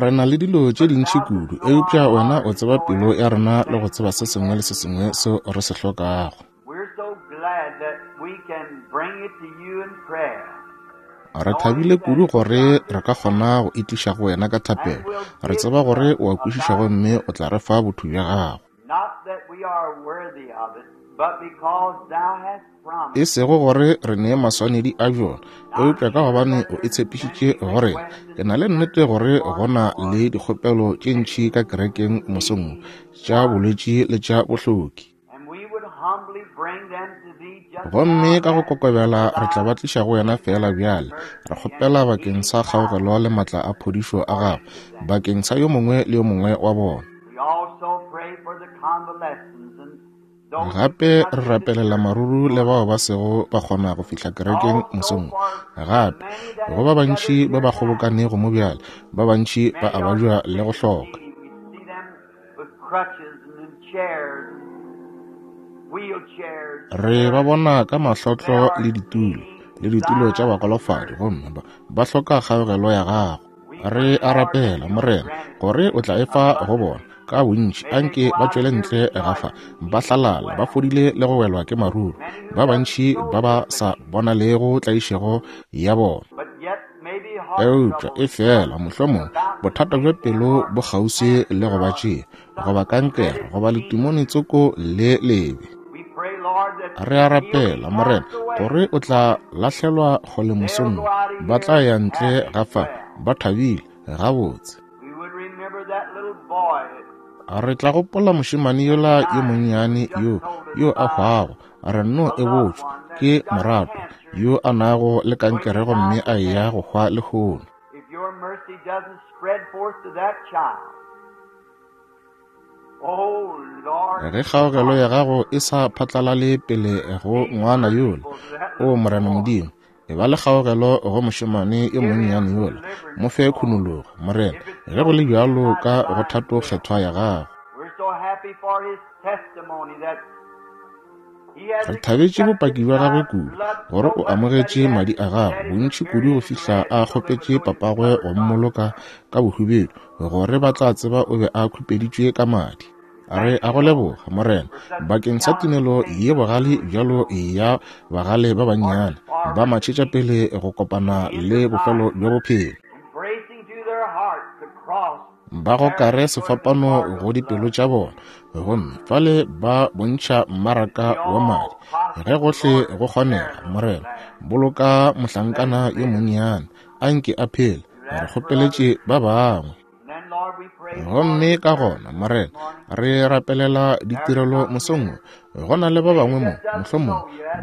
Re na le dilo tše dintši kudu, eupša Wena o tseba pelo ya rena le go tseba se sengwe le se sengwe seo re se hlokago. Re thabile kudu gore re ka kgona go e tliša go Wena ka thapelo, re tseba gore O a kwešiša gomme o tla re fa botho bja Gago. E sego gore re ne maswanedi a bjona, eupša ka gobane o e tshepišitše go rena. Ke na le nnete gore go na le dikgopelo tše ntši ka kerekeng mosong wo, tša bolwetši le tša bohloki. Gomme ka go kokobela re tla ba tliša go wena feela bjale, re kgopela bakeng sa kgaogelo le matla a phodišo a gago, bakeng sa yo mongwe le yo mongwe wa bona. Gape re rapelela maruru le bao ba sego ba kgona go fihla kerekeng mosong wo. Gape go ba bantši ba ba kgobokanego mo bjale, ba bantši ba a babja le go hloka. Re ba bona ka mahlotlo le ditulo, le ditulo tša bagolofadi, gomme ba, ba hloka kgaogelo ya Gago. Re a rapela, Morena, gore O tla e fa go bona, ka bontši. Anke ba tšwele ntle ga fa, ba hlalala, ba fodile le go welwa ke maruru, ba bantši ba ba sa bonalego tlaišego ya bona. Eupša efela mohlomongwe bothata bja pelo bo kgauswi le go ba tšea, goba kankere, goba letimone tsoko le lebe. Re a rapela, Morena, gore o tla lahlelwa kgole mosong wo. Ba tla ya ntle ga fa, ba thabile, gabotse. Re tla gopola mošemane yola yo monnyane yo, yo a hwago, re nno e botšwa ke moratwa yo a nago le kankere gomme a eya go hwa lehono. Ge kgaogelo ya gago e sa phatlalale pele go ngwana yola, o Morena Modimo, e ba le kgaogelo go mošemane yo monnyane yola, mo fe khunologo, Morena, ge go le bjalo ka go thato kgethwa ya gago. Re thabetše bopaki bja gagwe kudu, gore o amogetše madi a gagwe bontši kudu go fihla a kgopetše papagwe go mmoloka ka bohubedu, gore ba tla tseba o be a khupeditšwe ka madi. Re a go leboga, Morena, bakeng sa tumelo ye bogale bjalo ya bagale ba bannyane ba matšhetša pele go kopana le bofelo bja bophelo. Ba gokare sefapano go dipelo tša bona, gomme fale ba bontšha mmaraka wa madi. Ge gohle go kgonega, Morena, boloka mohlankana yo monnyane, a nke a phele, re kgopeletše ba bangwe. Gomme ka gona, Morena, re rapelela ditirelo mosong wo. Go na le ba bangwe mo, mohlomongwe,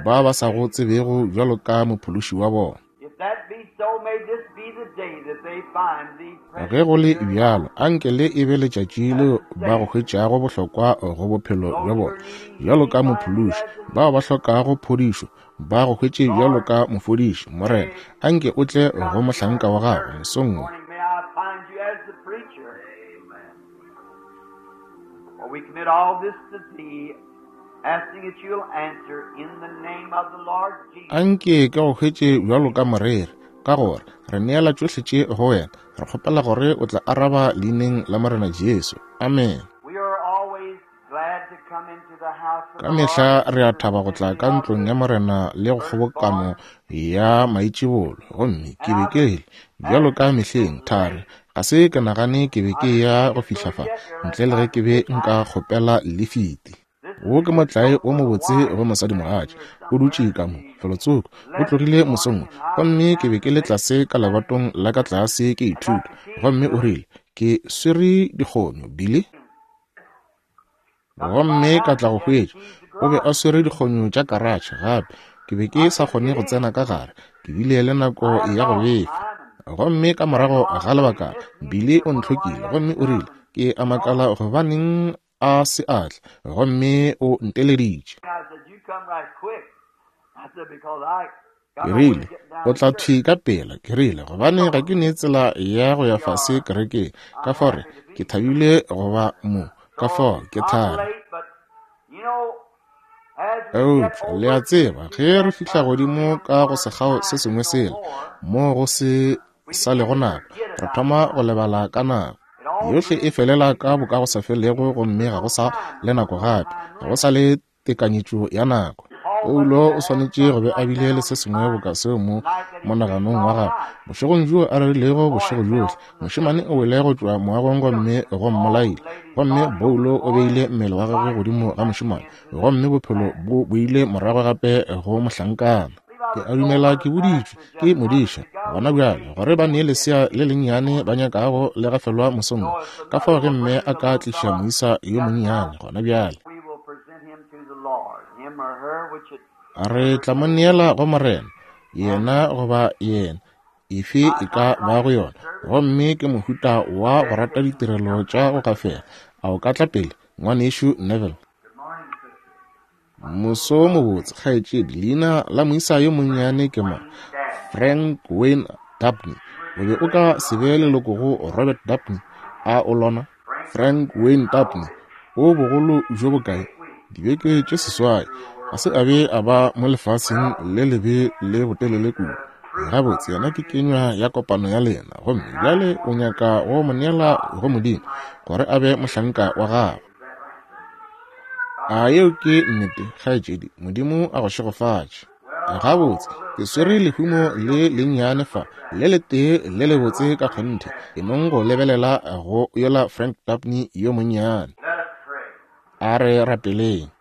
ba ba sa go tsebego bjalo ka Mophološi wa bona. Ge go le bjalo, anke le e be letšatši leo ba go hwetšago bohlokwa go bophelo bja bona bjalo ka Mophološi. Bao ba hlokago phodišo, ba go hwetše bjalo ka mofodiši. Morena, anke o tle go mohlanka wa gago mosong wo. Anke ke go hwetše bjalo ka moreri, ka gore re neela tšohle tše go wena, re kgopela gore o tla araba leineng la Morena Jesu. Amen. Ka mehla re a thaba go tla ka ntlong ya Morena le go kgobokano ya maitšibolo. Gomme ke be ke rile, bjalo ka mehleng, thari, ga se ke nagane ke be ke ya go fihla fa, ntle le ge ke be nka kgopela lifiti. Wo ke motlae wo mobotse go mosadimogatša. O dutše ka mo, felotsoko. O tlogile mosong wo. Gomme ke be ke le tlase ka lebatong la ka tlase ke ithuta. Gomme o rile, Ke swere dikgonyo, Billy. Gomme ka tla go hwetša o be a swere dikgonyo tša karatšhe gape. Ke be ke sa kgone go tsena ka gare, ke bile le nako ya go befa. Gomme ka morago ga lebakana, Billy o ntlhokile gomme o rile, Ke a makala gobaneng a se a tla, gomme o nteleditše. Ke rile, O tla thwi ka pela. Ke rile, Gobane ga ke ne tsela ya go ya fase kerekeng. Ka fao re, ke thabile go ba mo. Ka fao ke thari. Eupša, le a tseba, ge re fihla godimo ka go sekgao se sengwe sela, moo go se sa lego nako, re thoma go lebala ka nako. Yohle e felela ka bokagosafelego gomme ga go sa le nako gape, ga go sa le tekanyetšo ya nako. Paulo o swanetše go be a bile le se sengwe boka seo mo monaganong wa gagwe bošegong bjoo a rerilego bošego bjohle. Mošemane o wele go tšwa moagong gomme go mmolaile, gomme Paulo o beile mmele wa gagwe godimo ga mošemane, gomme bophelo bo boile morago gape go mohlankana. Ke a dumela ke boditšwe ke modiša gona bjale gore ba nee lesea le lennyane ba nyakago le gafelwa mosong wo. Ka fao ge mme a ka tliša moisa yo monnyane gona bjale, re tla mo neela go Morena, yena goba yena, efe e ka ba go yona. Gomme ke mohuta wa go rata ditirelo tša go gafela. A o ka tla pele, Ngwanešu Neville? Moso wo mobotse, kgaetšedi. Leina la moisa yo monnyane ke mang? Frank Wayne Dabney. O be o ka se be leloko go Robert Dabney, a o lona? Frank Wayne Dabney. O bogolo bjo bokae? Dibeke tše seswai. Ga se a be a ba mo lefaseng le lebe le botelele kudu. Gabotse, yena ke kenywa ya kopano ya lena, gomme bjale o nyaka go mo neela go Modimo gore a be mohlanka wa gagwe. A yeo ke nnete, kgaetšedi? Modimo a go šegofatše. Gabotse, ke swere lehumo le lennyane fa, le letee le lebotse ka kgonthe. Ke nong go lebelela go yola Frank Dabney yo monnyane. A re rapeleng.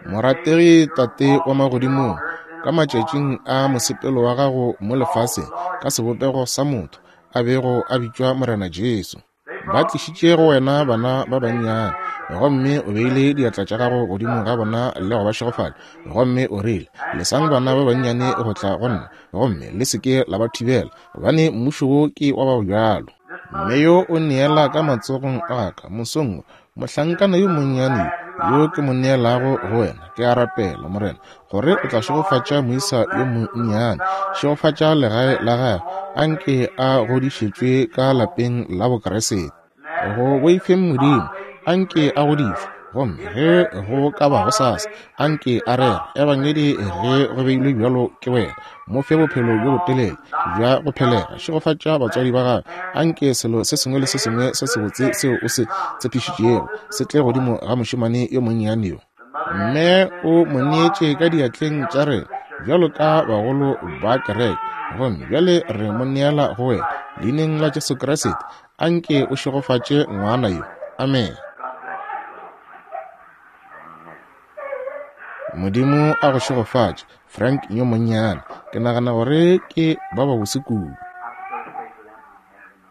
Morategi Tate wa Magodimong, ka matšatšing a mosepelo wa gago mo lefaseng, ka sebopego sa motho, a bego a bitšwa Morena Jesu, ba tlišitše go wena bana ba bannyane, gomme o beile diatla tša gago godimo ga bona le go ba šegofatša, gomme o rile, Lesang bana ba bannyane go tla go nna, gomme le se ke la ba thibela, gobane mmušo wo ke wa ba bjalo. Mme yo o neela ka matsogong a ka mosong wo, Mohlankana yo monnyane yo yo ke mo neelago go wena, ke a rapela, Morena, gore o tla šegofatša moisa yo monnyane, šegofatša legae la gagwe, a nke a godišetšwe ka lapeng la Bokriste. Go boifeng Modimo, a nke a godišwe, gomme ge go ka ba gosasa, a nke a rere Ebangedi ge go beilwe bjalo ke wena. Mo fe bophelo bjo botelele bja go phelega. Šegofatša batswadi ba gagwe. Anke selo se sengwe le se sengwe se sebotse seo o se tshepišitšego se tle godimo ga mošemane yo monnyane yo. Mme o mo neetše ka diatleng tša rena bjalo ka bagolo ba kereke, gomme bjale re mo neela go wena. Leineng la Jesu Kriste, anke o šegofatše ngwana yo. Amene. Modimo a go šegofatše, Frank yo monnyane. Ke nagana gore ke ba babose kudu.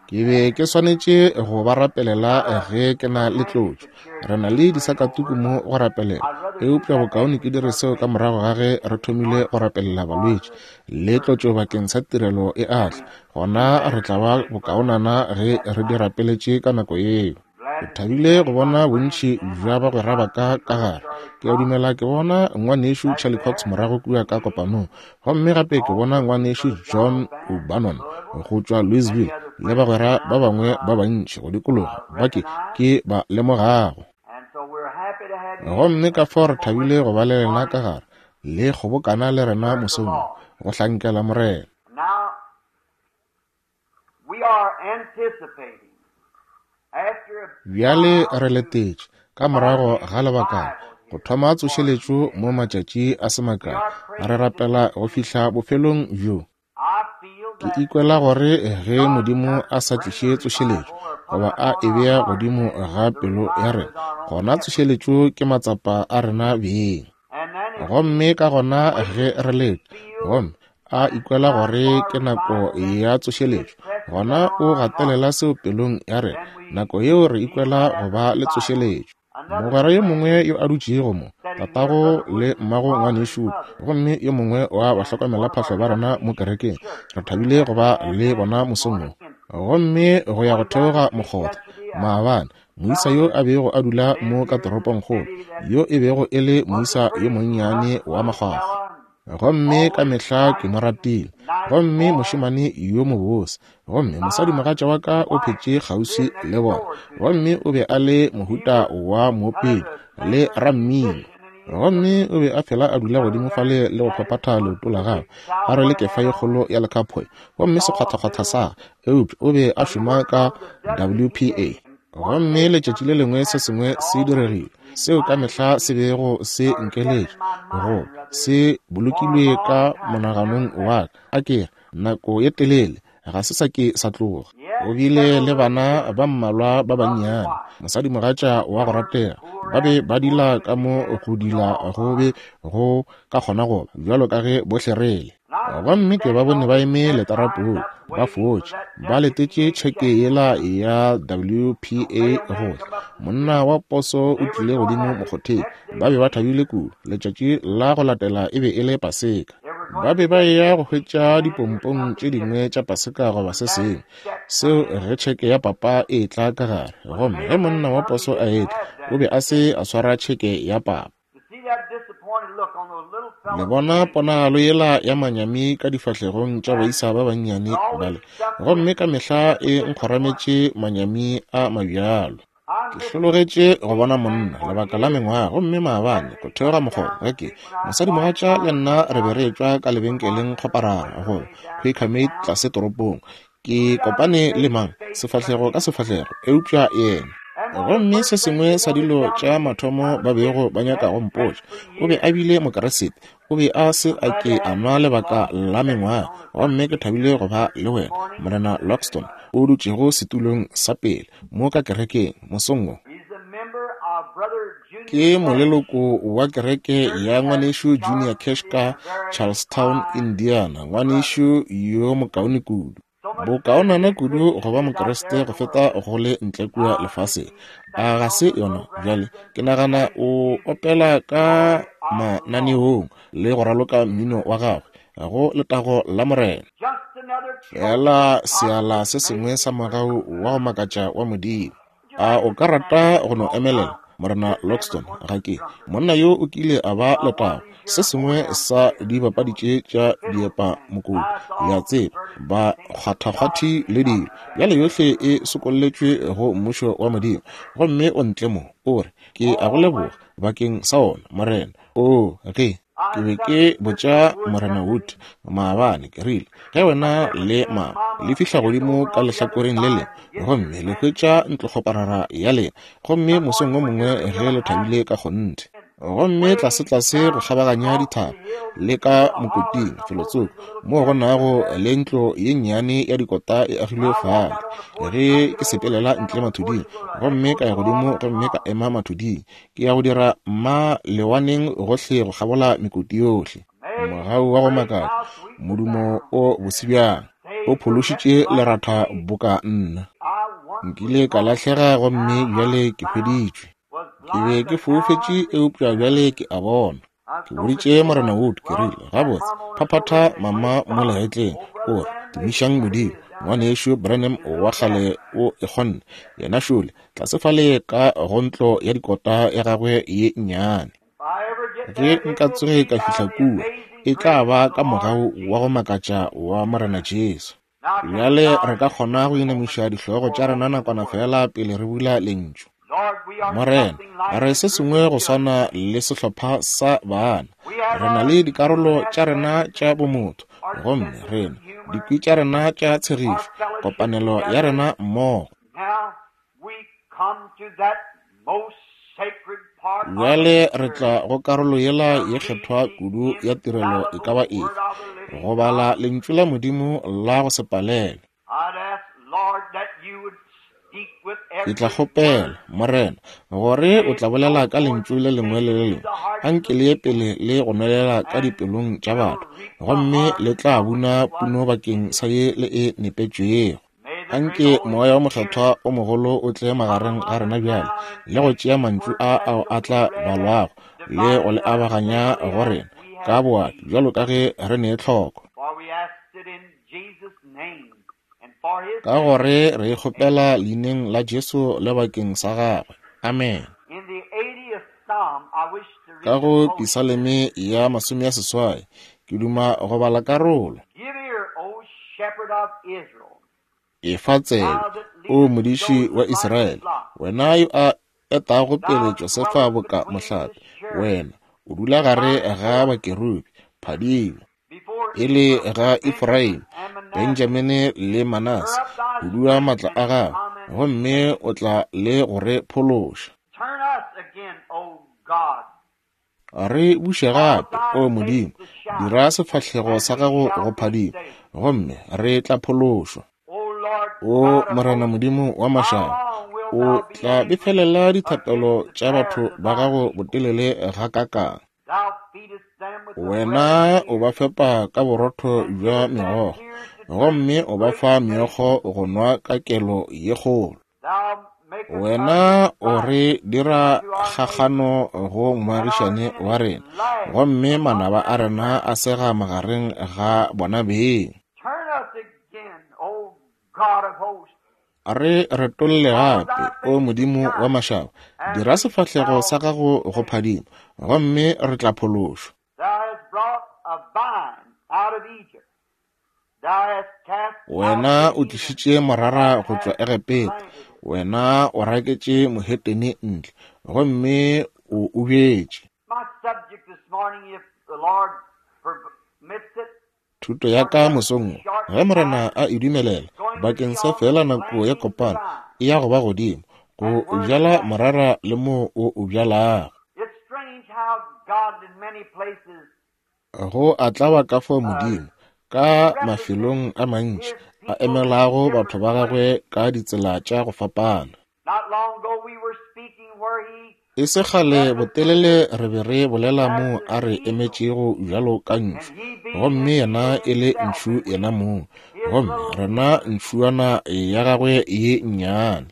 Ke be ke swanetše go ba rapelela ge ke na le tlotšo. Re na le disakatuku mo go rapelela, eupša bokaone ke dire seo ka morago ga ge re thomile go rapelela balwetši le tlotšo bakeng sa tirelo e a tla. Gona re tla ba bokaonana ge re di rapeletše ka nako yeo. Ke thabile go bona bontši bja bagwera ba ka ka gare. Ke a dumela ke bona Ngwanešu Charlie Cox morago kua ka kopanong, gomme gape ke bona Ngwanešu John O'Bannon go tšwa Louisville, le bagwera ba bangwe ba bantši go dikologa ba ke, ke ba lemogago. Gomme ka fao re thabile go ba le lena ka gare, le kgobokana le rena mosong wo, go hlankela Morena. Bjale re letetše, ka morago ga lebakana, go thoma tsošeletšo mo matšatši a se makae. Re rapela go fihla bofelong bjo. Ke ikwela gore ge Modimo a sa tliše tsošeletšo, goba a e bea godimo ga pelo ya rena, gona tsošeletšo ke matsapa a rena beng. Gomme ka gona ge re leta, gomme a ikwela gore ke nako ya tsošeletšo, gona o gatelela seo pelong ya rena. Nako yeo re ikwela go ba le tsošeletšo. Mogwera yo mongwe yo a dutšego mo, tatago le mmago ngwanešu, gomme yo mongwe wa bahlokomelaphahlo ba rena mo kerekeng, re thabile go ba le bona mosong wo. Gomme go ya go theoga mokgotha, maabane, moisa yo a bego a dula mo ka toropongkgolo, yo e bego e le moisa yo monnyane wa makgwakgwa. Gomme ka mehla ke mo ratile. Gomme mošemane yo mobose. Gomme mosadimogatša wa ka o phetše kgauswi le bona. Gomme o be a le mohuta wa moopedi le rammino. Gomme o be a fela a dula godimo fale le go phaphatha leoto la gagwe, a rwele kefa ye kgolo ya lekhaphoy, gomme sekgwathakgwatha sa, eupša o be a šoma ka WPA. Gomme letšatši le lengwe se sengwe se diregile, seo ka mehla se bego se nkeletša, go se bolokilwe ka monaganong wa ka, a ke re, nako ye telele, ga se sa ke sa tloga. O bile le bana ba mmalwa ba bannyane, mosadimogatša wa go ratega, ba be ba dila ka mo go dila go be go ka kgona go ba, bjalo ka ge bohle re le. Gomme ke ba bone ba eme letarapong, ba fotše, ba letetše tšheke yela ya WPA go tla. Monna wa poso o tlile godimo mokgotheng. Ba be ba thabile kudu. Letšatši la go latela e be e le Paseka. Ba be ba eya go hwetša dipompong tše dingwe tša Paseka goba se sengwe, seo ge tšheke ya papa e etla ka gare. Gomme ge monna wa poso a etla, o be a se a swara tšheke ya papa. Le bona ponagalo yela ya manyami ka difahlegong tša baisa ba bannyane bale, gomme ka mehla e nkgorametše manyami a mabjalo. Ke hlologetše go bona monna lebaka la mengwaga, gomme maabane go theoga mokgobo ge ke mosadimogatša le nna re be re etšwa ka lebenkeleng kgoparara go Quaker Mate tlase toropong. Ke kopane le mang sefahlego ka sefahlego eupša yena. Gomme se sengwe sa dilo tša mathomo ba bego ba nyaka go mpotša, o be a bile Mokeresete, o be a se a ke a nwa lebaka la mengwaga. Gomme ke thabile go ba le wena, Morena Loxton, o dutšego setulong sa pele mo ka kerekeng mosong wo. Ke moleloko wa kereke ya ngwanešu Junior Cash ka Charlestown, Indiana, ngwanešu yo mokaone kudu. Bokaonana kudu go ba Mokriste go feta go le ntle kua lefaseng. A ga se yona? Bjale, ke nagana o opela ka mananeong le go raloka mmino wa gagwe go letago la Morena. Feela seala se sengwe sa mogau wa go makatša wa Modimo. A o ka rata go no emelela, Morena Loxton? Ga ke. Monna yo o kile a ba letago, se sengwe sa dibapadi tše tša diepa mokopu, le a tseba, ba kgwathakgwathi le dilo. Bjale yohle e sokolletšwe go Mmušo wa Modimo. Gomme o ntle mo, o re, Ke a go leboga bakeng sa ona, Morena. Oo, ge. Ke be ke botša Morena Wood maabane, ke rile, ge wena le mama le fihla godimo ka lehlakoreng le lengwe gomme le hwetša ntlokgoparara ya lena, gomme mosong wo mongwe ge le thabile ka kgonthe, gomme tlasetlase go kgabaganya dithaba le ka mokoting felotsoko moo go nago le ntlo ye nnyane ya dikota e agilwe fale, ge ke sepelela ntle mathuding gomme ka ya godimo gomme ka ema mathuding, Ke ya go dira mma lewaneng gohle go kgabola mekoti yohle. Mogau wa go makatša, modumo o bose bjang, o phološitše leratha boka nna. Nkile ka lahlega gomme bjale ke hweditšwe. Ke be ke foufetše eupša bjale ke a bona. Ke boditše Morena Wood, ke rile, Gabotse, phaphatha mama mo legetleng, o re, Tumišang Modimo, Ngwanešu Branham wa kgale o e kgonne. Yena šole, tlase fale ka go ntlo ya dikota ya gagwe ye nnyane. Ge nka tsoge ka fihla kua, e tla ba ka mogau wa go makatša wa Morena Jesu. Bjale re ka kgona go inamiša dihlogo tša rena nakwana feela pele re bula Lentšu. Morena, re se sengwe go swana le sehlopha sa baana. Re na le dikarolo tša rena tša bomotho, gomme rena, dikwi tša rena tša tshegišo, kopanelo ya rena mmogo. Bjale re tla go karolo yela ye kgethwa kudu ya tirelo e ka ba efe, go bala Lentšu la Modimo la go se palelwe. Ke tla kgopela, Morena, gore o tla bolela ka Lentšu le lengwe le le lengwe. Anke le ye pele le go nwelela ka dipelong tša batho, gomme le tla buna puno bakeng sa ye le e nepetšwego. Anke Moya wo Mokgethwa o mogolo o tle magareng ga rena bjale, le go tšea mantšu a ao a tla balwago le go le abaganya go rena ka boati bjalo ka ge re ne tlhoko. Ka gore re e kgopela leineng la Jesu le bakeng sa gagwe. Amen. Ka go Pisaleme ya 80, Ke duma go bala karolo. Efa tsebe, O modiši wa Israele, wena yo a etago pele Josefa boka mohlape, wena o dula gare ga bakerubi, phadimo e le ga Efraime, Benjamini le Manase, hudua matla a gago, gomme o tla le go re phološa. Re buše gape, O Modimo, dira sefahlego sa gago go phadima, gomme re tla phološwa. O Morena Modimo wa mašaba, o tla befelela dithapelo tša batho ba gago botelele gakakang. Wena o ba fepa ka borotho bja megokgo, gomme o ba fa meokgo go nwa ka kelo ye kgolo. Wena o re dira kgakgano go moagišani wa rena, gomme manaba a rena a sega magareng ga bona beng. Re retolle gape, O Modimo wa mašaba, dira sefahlego sa gago go phadima, gomme re tla phološwa. Wena o tlišitše morara go tšwa Egepeta, wena o raketše mohetene ntle, gomme o o bjetše. Thuto ya ka mosong wo, ge Morena a e dumelela, bakeng sa feela nako ya kopano, e ya go ba godimo, go bjala morara le moo o o bjalago. Go a tlaba ka fao Modimo, ka mafelong a mantši, a emelago batho ba gagwe ka ditsela tša go fapana. E se kgale botelele re be re bolela moo a re emetšego bjalo ka ntšhu, gomme yena e le ntšhu yena mong, gomme rena ntšhuana ya gagwe ye nnyane.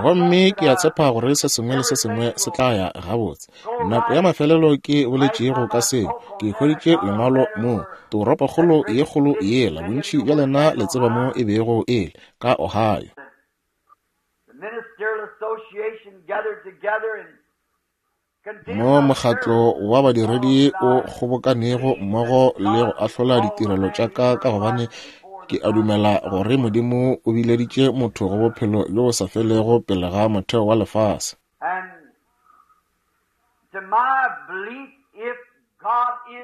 Gomme ke a tshepa gore se sengwe le se sengwe se tla ya gabotse. Nako ya mafelelo ke boletšego ka seo, ke hweditše lengwalo moo, toropokgolo ye kgolo yela, bontši bja lena le tseba mo e bego e le, ka Ohio. Mo mokgatlo wa badiredi o kgobokanego mmogo le go ahlola ditirelo tša ka ka gobane ke a dumela gore Modimo o bileditše motho go bophelo bjo bo sa felego pele ga motheo wa lefase.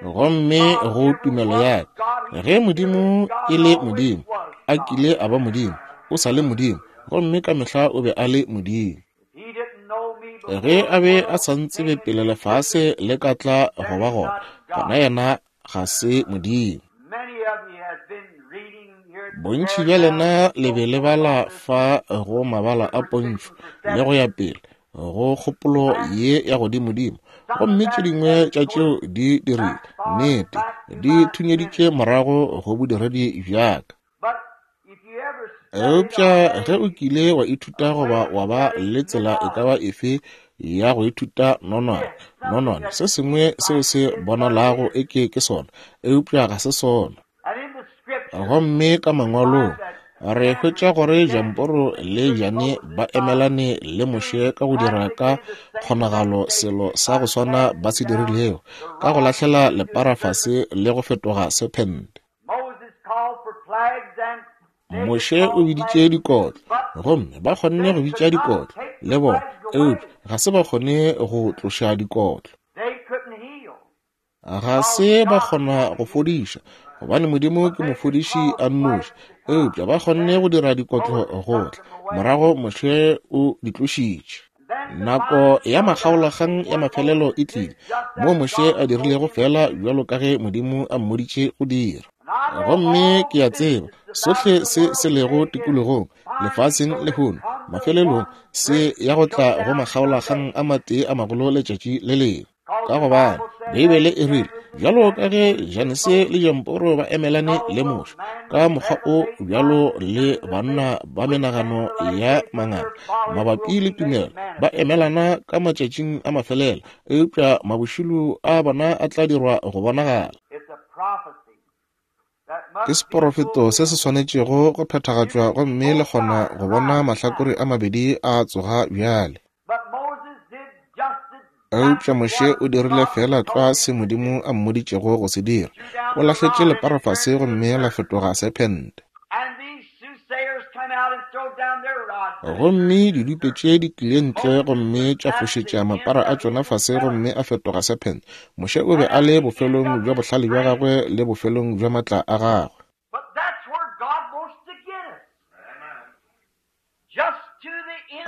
Gomme go tumelo ya ka, ge Modimo e le Modimo, a kile a ba Modimo, o sa le Modimo, gomme ka mehla o be a le Modimo. Ge a be a sa ntsebe pele lefase le ka tla go ba gona, gona yena ga se Modimo. Bontši bja lena le be le bala fa go mabala a pontšho le go ya pele go kgopolo ye ya godimodimo, gomme tše dingwe tša tšeo di dirile nnete di thunyeditše morago go bodiredi bja ka. Eupša ge o kile wa ithuta goba wa ba le tsela e ka ba efe ya go ithuta nonwane, nonwane, se sengwe seo se bonalago eke ke sona, eupša ga se sona. Gomme ka Mangwalong re hwetša gore Jamporo le Jane ba emelane le Moshe ka go dira ka kgonagalo selo sa go swana ba se dirilego, ka go lahlela lepara fase le go fetoga sephente. Moshe o biditše dikotlo, gomme ba kgonne go bitša dikotlo le bona, eupša ga se ba kgone go tloša dikotlo. Ga se ba kgona go fodiša, gobane Modimo ke mofodiši a nnoši, eupša ba kgonne go dira dikotlo go tla. Morago Moshe o di tlošitše. Nako ya makgaolakgang ya mafelelo e tlile, moo Moshe a dirilego feela bjalo ka ge Modimo a mmoditše go dira. Gomme ke a tseba sohle se se lego tikologong lefaseng lehono, mafelelong se ya go tla go makgaolakgang a matee a magolo letšatši le lengwe. Ka gobane Beibele e rile, bjalo ka ge Janese le Jamporo ba emelane le Moshe, ka mokgwa o bjalo le banna ba menagano ya manganga mabapi le tumelo ba emelana ka matšatšing a mafelelo, eupša mabošilo a bona a tla dirwa go bonagala. Ke seporofeto se se swanetšego go phethagatšwa gomme le kgona go bona mahlakore a mabedi a tsoga bjale. Eupša Moshe o dirile feela tlwa se Modimo a mmoditšego go se dira. O lahletše lepara fase gomme la fetoga sephente. Gomme didupe tše di tlile ntle gomme tša fošetša mapara a tšona fase gomme a fetoga sephente. Moshe o be a le bofelong bja bohlale bja gagwe le bofelong bja matla a gagwe.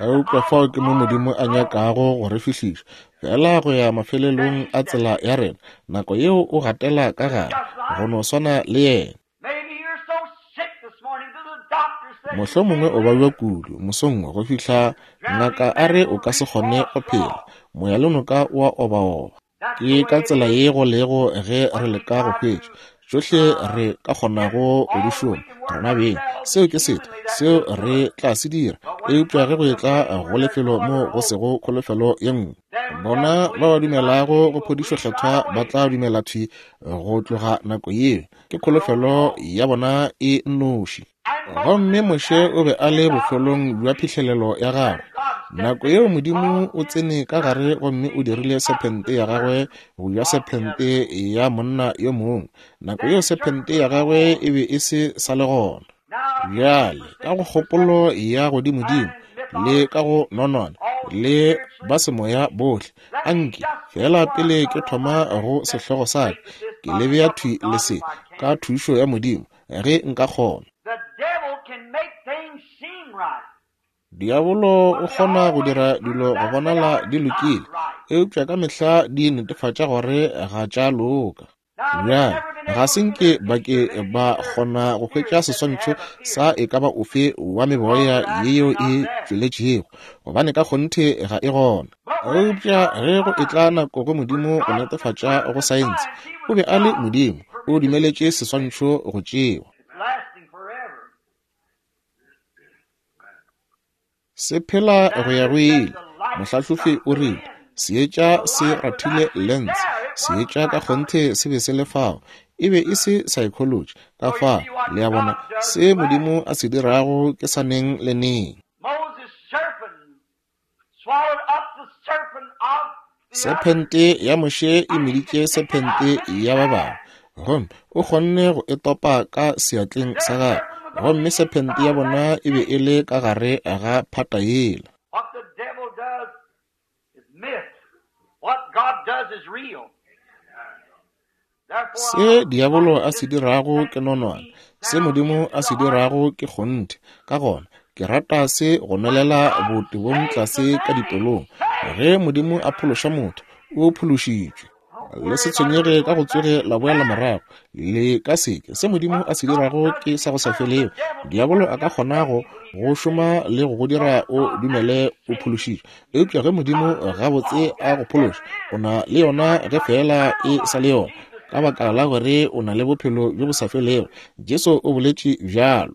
Eupša fao ke mo Modimo a nyakago go re fihliša, feela go ya mafelelong a tsela ya rena. Nako yeo o gatela ka gare, go no swana le yena. Mohlomongwe o babja kudu mosong wo go fihla ngaka a re o ka se kgone go phela. Moyalenoka o a obaoba. Ke ka tsela ye go lego ge re leka go hwetša tšohle re ka kgonago go di šoma rena beng. Seo ke setho seo re tla se dira. Eupša ge go etla go lefelo moo go sego kholofelo ye nngwe, bona ba ba dumelago go phodišo Kgethwa ba tla dumela thwi go tloga nako yeo. Ke kholofelo ya bona e nnoši. Gomme Moshe o be a le bofelong bja phihlelelo ya gagwe. Nako yeo Modimo o tsene ka gare gomme o dirile sephente ya gagwe go ja sephente ya monna yo mongwe. Nako yeo sephente ya gagwe e be e se sa le gona. Bjale, ka go kgopolo ya godimodimo le ka go nonwana le ba semoya bohle, anke feela pele ke thoma go sehlogo sa ka, ke le bea thwi le se, ka thušo ya Modimo, ge nka kgona. Diabolo o kgona go dira dilo go bonala di lokile, eupša ka mehla di netefatša gore ga tša loka. Bjale, ga se nke ba ke ba kgona go hwetša seswantšho sa e ka ba ofe wa meboya yeo e tšweletšego, gobane ka kgonthe ga e gona. Eupša ge go etla nako go Modimo go netefatša go saense, O be a le Modimo, o dumeletše seswantšho go tšewa. Se phela go ya go ile. Mohlahlofi o rile, Seetša se rathile lens. Seetša ka kgonthe se be se le fao. E be e se saekholotši. Ka fao, le a bona, se Modimo a se dirago ke sa neng le neng. Sephente ya Moshe e meditše sephente ya ba bangwe, gomme o kgonne go e topa ka seatleng sa gagwe, gomme sephente ya bona e be e le ka gare ga phata yela. Se diabolo a se dirago ke nonwane, se Modimo a se dirago ke kgonthe. Ka gona, ke rata se go nwelela botebong tlase ka dipelong. Ge Modimo a phološa motho, o phološitšwe. Le se tshwenyege ka go tsoge la boela morago, le ka seke. Se Modimo a se dirago ke sa go sa felego. Diabolo a ka kgona go go šoma le go go dira o dumele o phološitšwe, Eupša ge Modimo gabotse a go phološa, o na le yona ge feela e sa le yona, ka baka la gore o na le bophelo bjo bo sa felego. Jesu o boletše bjalo.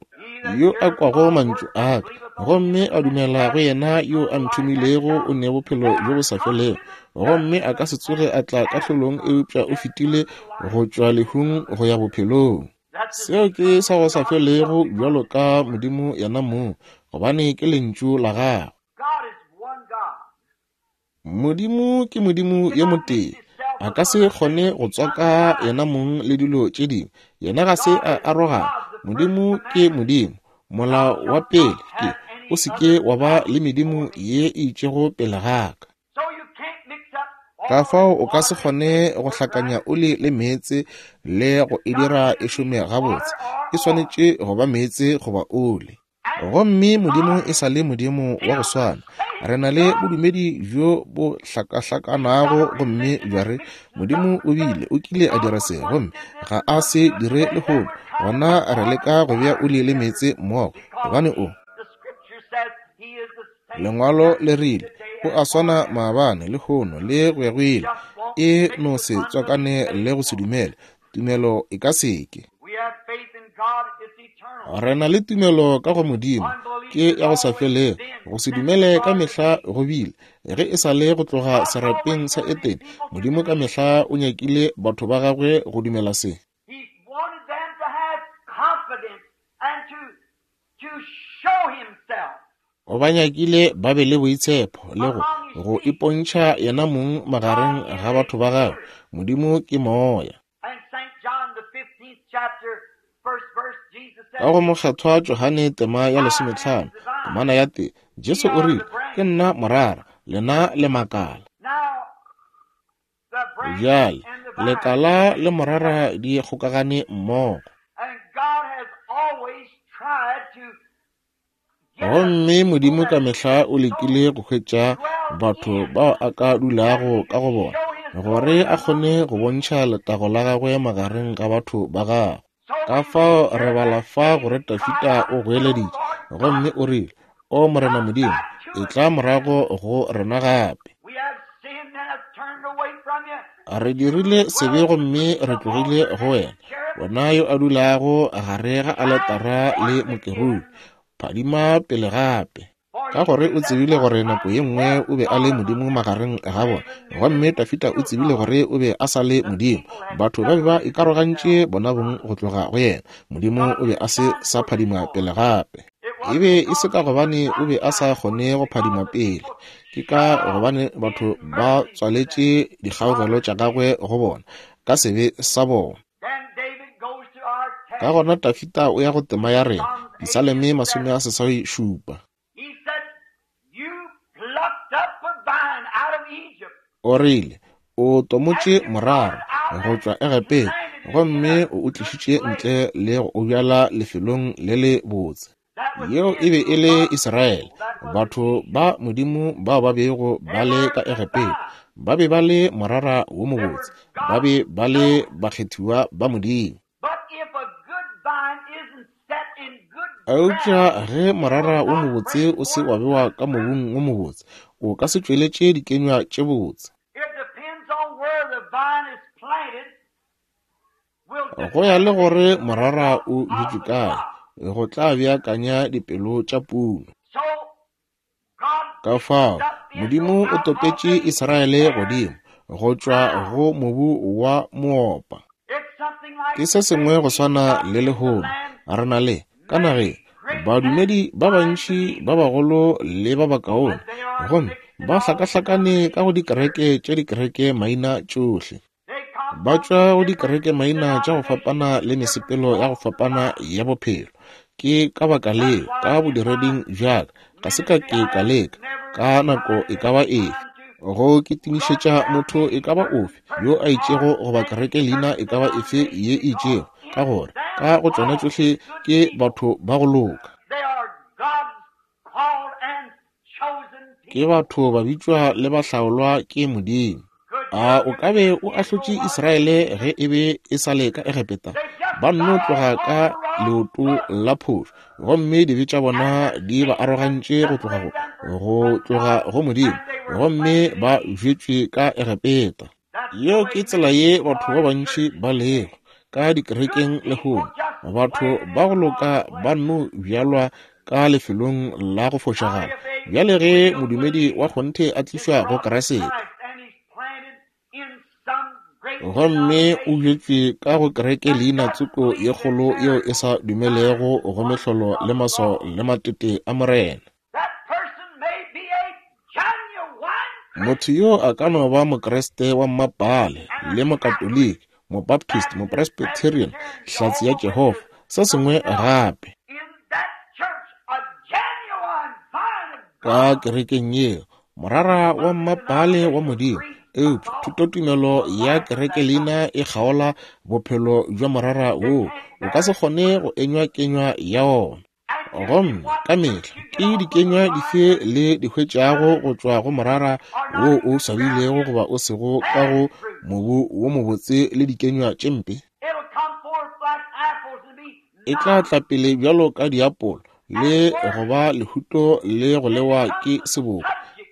Yo a kwago mantšu a ka gomme a dumela go yena yo a nthomilego o ne bophelo bjo bo sa felego, gomme a ka se tsoge a tla kahlolong, eupša o fetile go tšwa lehung go ya bophelong. Seo ke sa go sa felego bjalo ka Modimo yena mong, gobane ke lentšu la gagwe. Modimo ke Modimo yo motee. A ka se kgone go tswaka yena mong le dilo tše dingwe. Yena ga se a arogana. Modimo ke Modimo. Molao wa pele ke, o se ke wa ba le medimo ye e itšego pele ga ka. Ka fao o ka se kgone go hlakanya oli le meetse le go e dira e šome gabotse. E swanetše go ba meetse goba oli. Gomme Modimo e sa le Modimo wa go swana. Re na le bodumedi bjo bo hlakahlakanago gomme bja re, Modimo o bile, o kile a dira se, gomme ga a se dire lehono. Gona re leka go bea oli le meetse mmogo, gobane o. Lengwalo le rile, O a swana maabane, lehono, le go ya go ile. E no se tswakane le go se dumele. Tumelo e ka se ke. Re na le tumelo ka go Modimo, ke ya go sa felego. Go se dumele ka mehla go bile, ge e sa le go tloga serapeng sa Etene, Modimo ka mehla o nyakile batho ba gagwe go dumela se. O ba nyakile ba be le boitshepo le go go ipontšha Yenamong magareng ga batho ba Gagwe. Modimo ke Moya. Ka go Mokgethwa Johane tema ya lesometlhano, temana ya tee, Jesu o rile, Ke nna morara, lena le makala. Bjale, lekala le morara di kgokagane mmogo. Gomme Modimo ka mehla o lekile go hwetša batho bao a ka dulago ka go bona, gore a kgone go bontšha letago la gagwe magareng ga batho ba gagwe. Ka fao re bala fa gore Dafida o goeleditše, gomme o rile, O Morena Modimo, etla morago go rena gape. Re dirile sebe gomme re tlogile go wena, wena yo a dulago gare ga aletara le mokerubi. Phadima pele gape. Ka gore o tsebile gore nako ye nngwe o be a le Modimo magareng ga bona, gomme Dafida o tsebile gore o be a sa le Modimo. Batho ba be ba ikarogantše bona bong go tloga go yena. Modimo o be a se sa phadima pele gape. E be e se ka gobane o be a sa kgone go phadima pele, ke ka gobane batho ba tswaletše dikgaogelo tša gagwe go bona ka sebe sa bona. Ka gona Dafida o ya go tema ya rena, Disaleme 87. O rile, O tomotše morara go tšwa Egepeta gomme o o tlišitše ntle le go o bjala lefelong le le botse. Yeo e be e le Israele, batho ba Modimo bao ba bego ba le ka Egepeta. Ba be ba le morara wo mobotse, ba be ba le bakgethiwa ba Modimo. Eupša ge morara wo mobotse o se wa bewa ka mobung wo mobotse, o ka se tšweletše dikenywa tše botse. Go ya le gore morara o bjetšwe kae, go tla beakanya dipelo tša puno. Ka fao, Modimo o topetše Israele godimo go tšwa go mobu wa moopa. Ke se sengwe go swana le lehono. Re na le, ka nageng, badumedi ba bantši ba bagolo le ba bakaone, gomme ba hlakahlakane ka go dikereke tša dikereke maina tšohle. Ba tšwa go dikerekemaina tša go fapana le mesepelo ya go fapana ya bophelo. Ke ka baka leo, ka bodireding bja ka, ga se ka ke ka leka, ka nako e ka ba efe, go kitimišetša motho e ka ba ofe yo a itšego goba kerekeleina e ka ba efe ye e itšego, ka gore ka go tšona tšohle ke batho ba go loka. Ke batho ba bitšwa le ba hlaolwa ke Modimo. A o ka be o ahlotše Israele ge e be e sa le ka Egepeta? Ba nno tloga ka leoto la phošo, gomme dibe tša bona di ba arogantše go tloga go, go tloga go Modimo, gomme ba bjetšwe ka Egepeta. Yeo ke tsela ye batho ba bantši ba lego ka dikerekeng lehono. Batho ba go loka ba nno bjalwa ka lefelong la go fošagala. Bjale ge modumedi wa kgonthe a tlišwa go Kriste, gomme o bjetšwe ka go kereke leina tsoko ye kgolo yeo e sa dumelego go mehlolo le maswao le matete a Morena. Motho yo a ka no ba Mokriste wa mmapaale, le Mokatoliki, Mobaptist, Mopresbyterian, Hlatse ya Jehofa, se sengwe gape. Ka kerekeng yeo, morara wa mmapaale wa Modimo, eupša thutotumelo ya kerekeleina e kgaola bophelo bja morara woo, o ka se kgone go enywa kenywa ya ona. Gomme ka mehla ke dikenywa dife le di hwetšago go tšwa go morara wo o swabilego goba o sego ka go mobu wo mobotse le dikenywa tše mpe? E tla tla pele bjalo ka diapolo le go ba lehuto le go lewa ke seboko,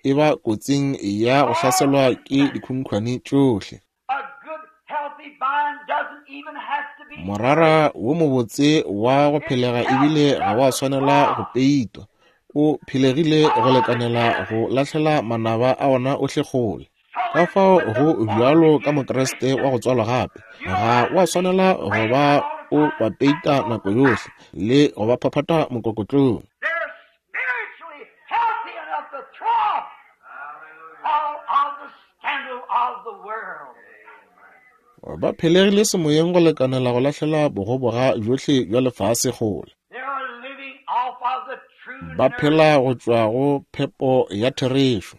e ba kotsing ya go hlaselwa ke dikhunkhwane tšohle. Morara wo mobotse wa go phelega ebile ga wa swanela go peitwa. O phelegile go lekanela go lahlela manaba a ona ohle kgole. Ka fao go bjalo ka Mokriste wa go tswalwa gape, ga wa swanela go ba o ba peita nako yohle le go ba phaphatha mokokotlong. Ba phelegile semoyeng go lekanela go lahlela bogoboga bjohle bja lefase kgole. Ba phela go tšwa go phepo ya therešo.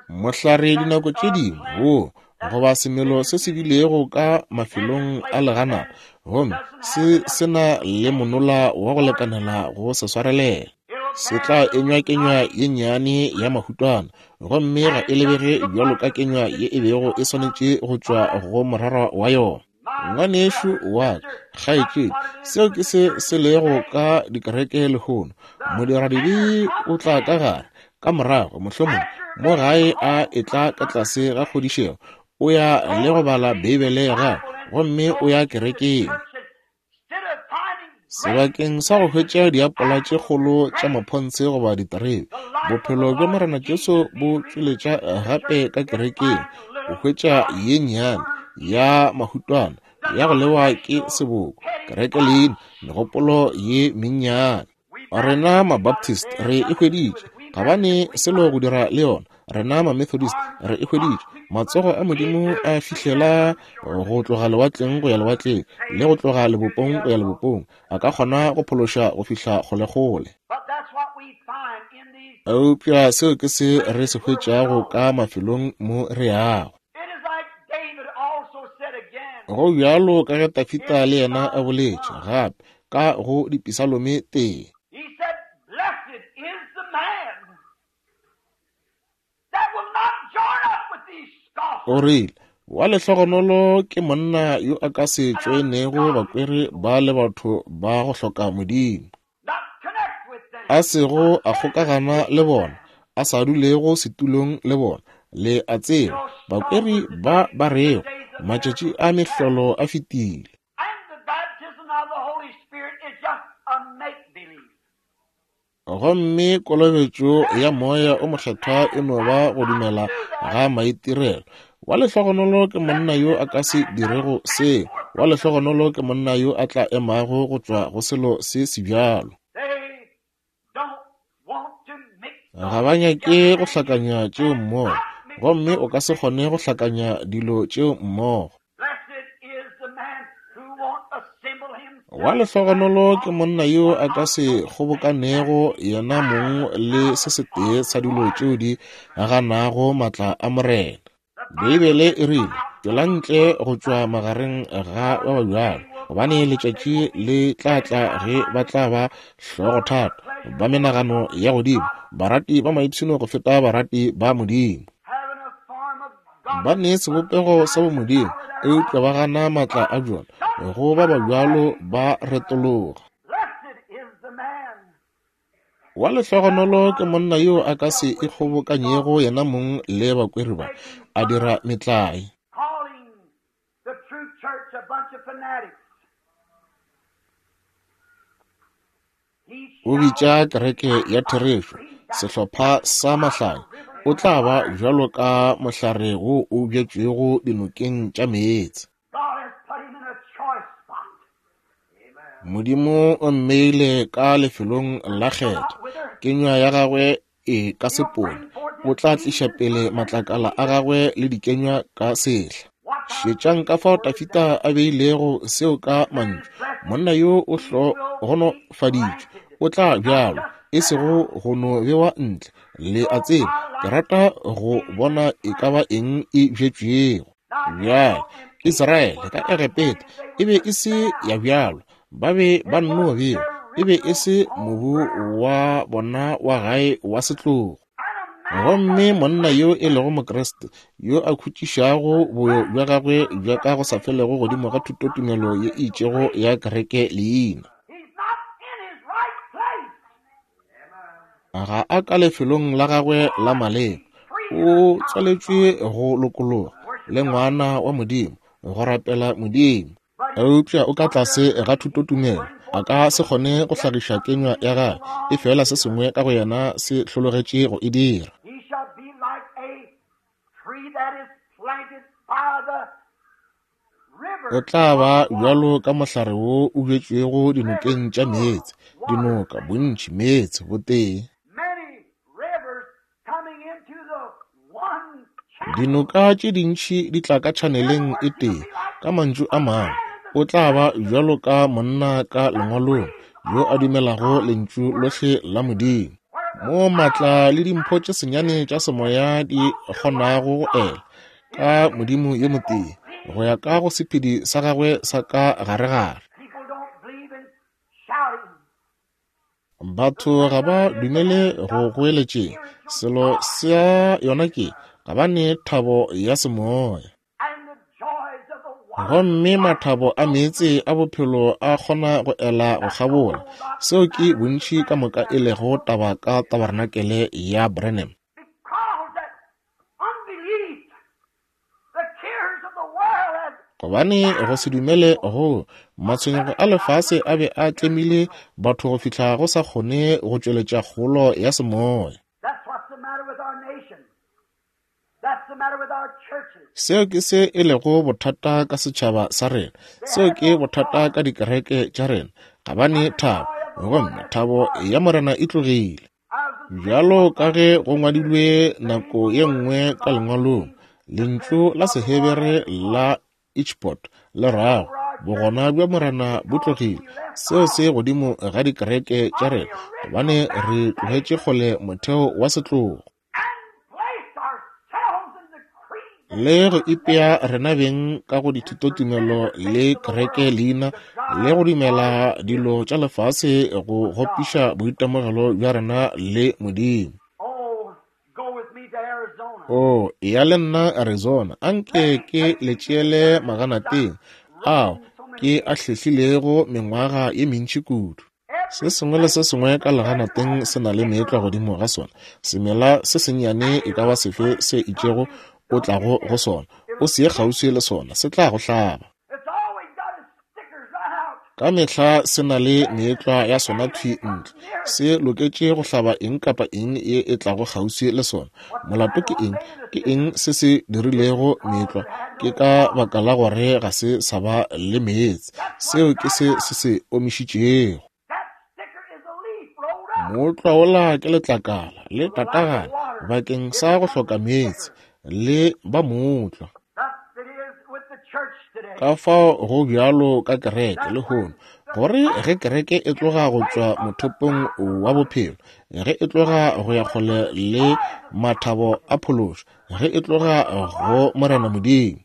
Mohlare dinako tše dingwe wo goba semelo se se bilego ka mafelong a leganata gomme se se na le monola wa go lekanela go se swarelela. Se tla enywa kenywa ye nnyane ya mahutwana gomme ga e lebege bjalo ka kenywa ye e bego e swanetše go tšwa go morara wa yona. Ngwanešu wa ka, kgaetšedi, seo ke se se lego ka dikereke lehono. Modiradibe o tla ka gare, ka morago, mohlomongwe, mo gae a etla ka tlase ga kgodišego, o ya le go bala Beibele ya gagwe, gomme o ya kerekeng. Sebakeng sa go hwetša diapola tše kgolo tša maphontshe goba diterebe, bophelo bja Morena Jesu bo tšweletša gape ka kerekeng, o hwetša ye nnyane ya mahutwana ya go lewa ke seboko, kereke leina, megopolo ye mennyane. Rena Mabaptist re e hweditše, ga ba ne selo go dira le yona. Rena Mamethodist re e hweditše. Matsogo a Modimo a fihlela go tloga lewatleng go ya lewatleng, le go tloga lebopong go ya lebopong. A ka kgona go phološa go fihla kgolekgole. Eupša seo ke se re se hwetšago ka mafelong mo re yago. Go bjalo ka ge Tafita le yena a boletše gape ka go Dipisalome tee. He said, Blessed is the man that will not join up with these scoffers. O rile, Wa lehlogonolo ke monna yo a ka se tšoenego bakweri ba le batho ba go hloka Modimo, Not connect with them. a sego a kgokagana le bona, a sa dulego setulong le bona. Le a tseba, bakweri ba ba rego, Matšatši a mehlolo a fetile. And the baptism of the Holy Spirit is just a make-believe. Gomme kolobetšo ya Moya o Mokgethwa e no ba go dumela ga maitirelo. Wa lehlogonolo ke monna yo a ka se dirego seo. Wa lehlogonolo ke monna yo a tla emago go tšwa go selo se sebjalo. They don't want to mix Ga ba nyake go hlakanya tšeo mmogo, gomme o ka se kgone go hlakanya dilo tšeo mmogo. Blessed is the man who won't assemble himself. Wa lehlogonolo ke monna yo a ka se kgobokanego yena mong le se setee sa dilo tšeo di ganago maatla a Morena. Beibele e rile, Tšwela ntle go tšwa magareng ga ba ba bjalo, gobane letšatši le tla tla ge ba tla ba hlogothata, ba menagano ya godimo, barati ba maipshino go feta barati ba Modimo. Having a form of Ba ne sebopego sa bomodimo, eupša ba gana maatla a bjona. Go ba ba bjalo ba retologa. Blessed is the man Wa lehlogonolo ke monna yo a ka se ikgobokanyego yena mong le bakweri ba, a dira metlae. calling the true church a bunch of fanatics. He O bitša kereke ya therešo sehlopha sa mahlanya. O tla ba bjalo ka mohlare wo o bjetšwego dinokeng tša meetse. God has put him in a choice spot. Modimo o mmeile ka lefelong la kgetho. Kenywa ya gagwe e ka se pone. O tla tliša pele matlakala a gagwe le dikenywa ka sehla. Šetšang ka fao Tafita a beilego seo ka mantšu. Monna yo o hlogonofaditšwe, o tla bjalwa, e sego go no bewa ntle. Le a tseba, ke rata go bona e ka ba eng e bjetšwego. Bjale, Israele ka Egepeta e be e se ya bjalwa, ba be ba nno bewa, e be e se mobu wa bona wa gae wa setlogo. Gomme monna yo e lego Mokriste, yo a khutšišago boyo bja gagwe bja ka go sa felego godimo ga thutotumelo ye e itšego ya kereke leina, He's not in his right place. ga a ka lefelong la gagwe la maleba. O tswaletšwe go lokologa le ngwana wa Modimo, go rapela Modimo. Eupša o ka tlase ga thutotumelo, a ka se kgone go hlagiša kenywa ya gagwe, efela se sengwe ka go yena se hlologetše go e dira. He shall be like a tree that is planted by the O tla ba bjalo ka mohlare wo o bjetšwego dinokeng tša meetse, dinoka, bontši, meetse, botee. Many rivers coming into the one channel. Dinoka tše dintši di tla ka tšhaneleng e tee. Ka mantšu a mangwe, o tla ba bjalo ka monna ka Lengwalong yo a dumelago Lentšu lohle la Modimo, moo maatla le dimpho tše senyane tša semoya di kgonago go ela ka Modimo yo motee go ya ka go sephedi sa gagwe sa ka garegare. Batho ga ba dumele go goeletšeng. Selo sa yona ke, ga ba ne thabo ya semoya. Gomme mathabo a meetse a bophelo a kgona go ela go kgabola. Seo ke bontši ka moka e lego taba ka Tabarenakele ya Branham. Gobane go se dumele go matshwenyego a lefase a be a tlemile batho go fihla go sa kgone go tšweletša kgolo ya semoya. Seo ke se e lego bothata ka setšhaba sa rena. Seo ke bothata ka dikereke tša rena. Ga ba ne thabo, gomme thabo ya Morena e tlogile. Bjalo ka ge go ngwadilwe nako ye nngwe ka Lengwalong, lentšu la Sehebere la Ichpot le rago, Bogona bja Morena bo tlogile. Seo se godimo ga dikereke tša rena, gobane re tlogetše kgole motheo wa setlogo. Le go ipea rena beng ka go dithutotumelo le kereke leina le go dumela dilo tša lefase go gopiša boitemogelo bja rena le Modimo. O ya le nna Arizona, anke ke le tšeele maganateng ao ke a hlehlilego mengwaga ye mentši kudu. Se sengwe le se sengwe ka leganateng se na le meetlwa godimo ga sona. Semela se sennyane e ka ba sefe se itšego o tlago go sona, o se ye kgauswi le sona, se tla go hlaba. Ka mehla se na le meetlwa ya sona thwi ntle. Se loketše go hlaba eng kapa eng ye e tlago kgauswi le sona. Molato ke eng? Ke eng se se dirilego meetlwa? Ke ka baka la gore ga se sa ba le meetse. Seo ke se se se omišitšego. Mootlwa wola ke letlakala le tatagana bakeng sa go hloka meetse le ba mootlwa. Ka fao go bjalo ka kereke lehono, gore ge kereke e tloga go tšwa mothopong wa bophelo, ge e tloga go ya kgole le mathabo a phološo, ge e tloga go Morena Modimo,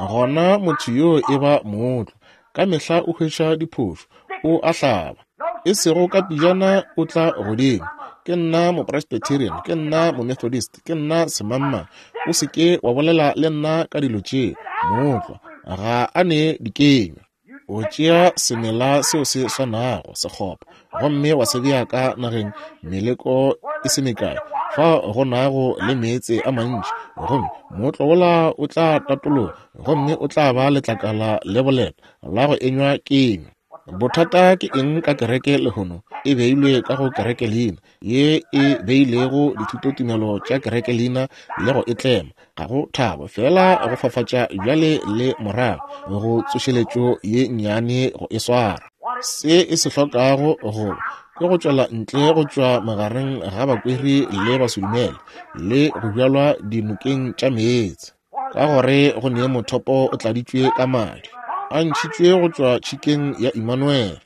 gona motho yoo e ba mootlwa. Ka mehla o hwetša diphošo, o a hlaba. E sego ka pejana o tla godimo, Ke nna Mopresbyterian, ke nna Momethodist, ke nna semangmang. O se ke wa bolela le nna ka dilo tše. Mootlwa ga a ne dikenywa. O tšea semela seo se swanago, sekgopa, gomme wa se bea ka nageng meleko e se mekae, fa go nago le meetse a mantši, gomme mootlwa wola o tla tatologa gomme o tla ba letlakala le boleta la go enywa kenywa. Bothata ke eng ka kereke lehono? E beilwe ka go kerekelina ye e beilego dithutotumelo tša kerekelina le go e tlema. Ga go thabo, feela go fafatša bjale le morago go tsošeletšo ye nnyane go e swara. Se e se hlokago go ke go tšwela ntle go tšwa magareng ga bakweri le basedumele le go bjalwa dinokeng tša meetse. Ka gore go ne mothopo o tladitšwe ka madi, a ntšhitšwe go tšwa tšhikeng ya Imanuele,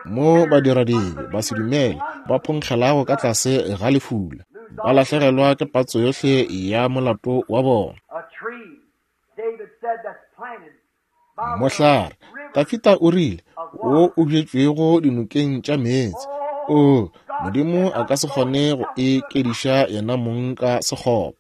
mo badiradibe basedumele ba phonkgelago ka tlase ga lefula, ba lahlegelwa ke patso yohle ya molato wa bona. Mohlare, Dafida o rile, wo o bjetšwego dinokeng tša meetse. Oo, Modimo a ka se kgone go e kediša yena mong ka sekgoba.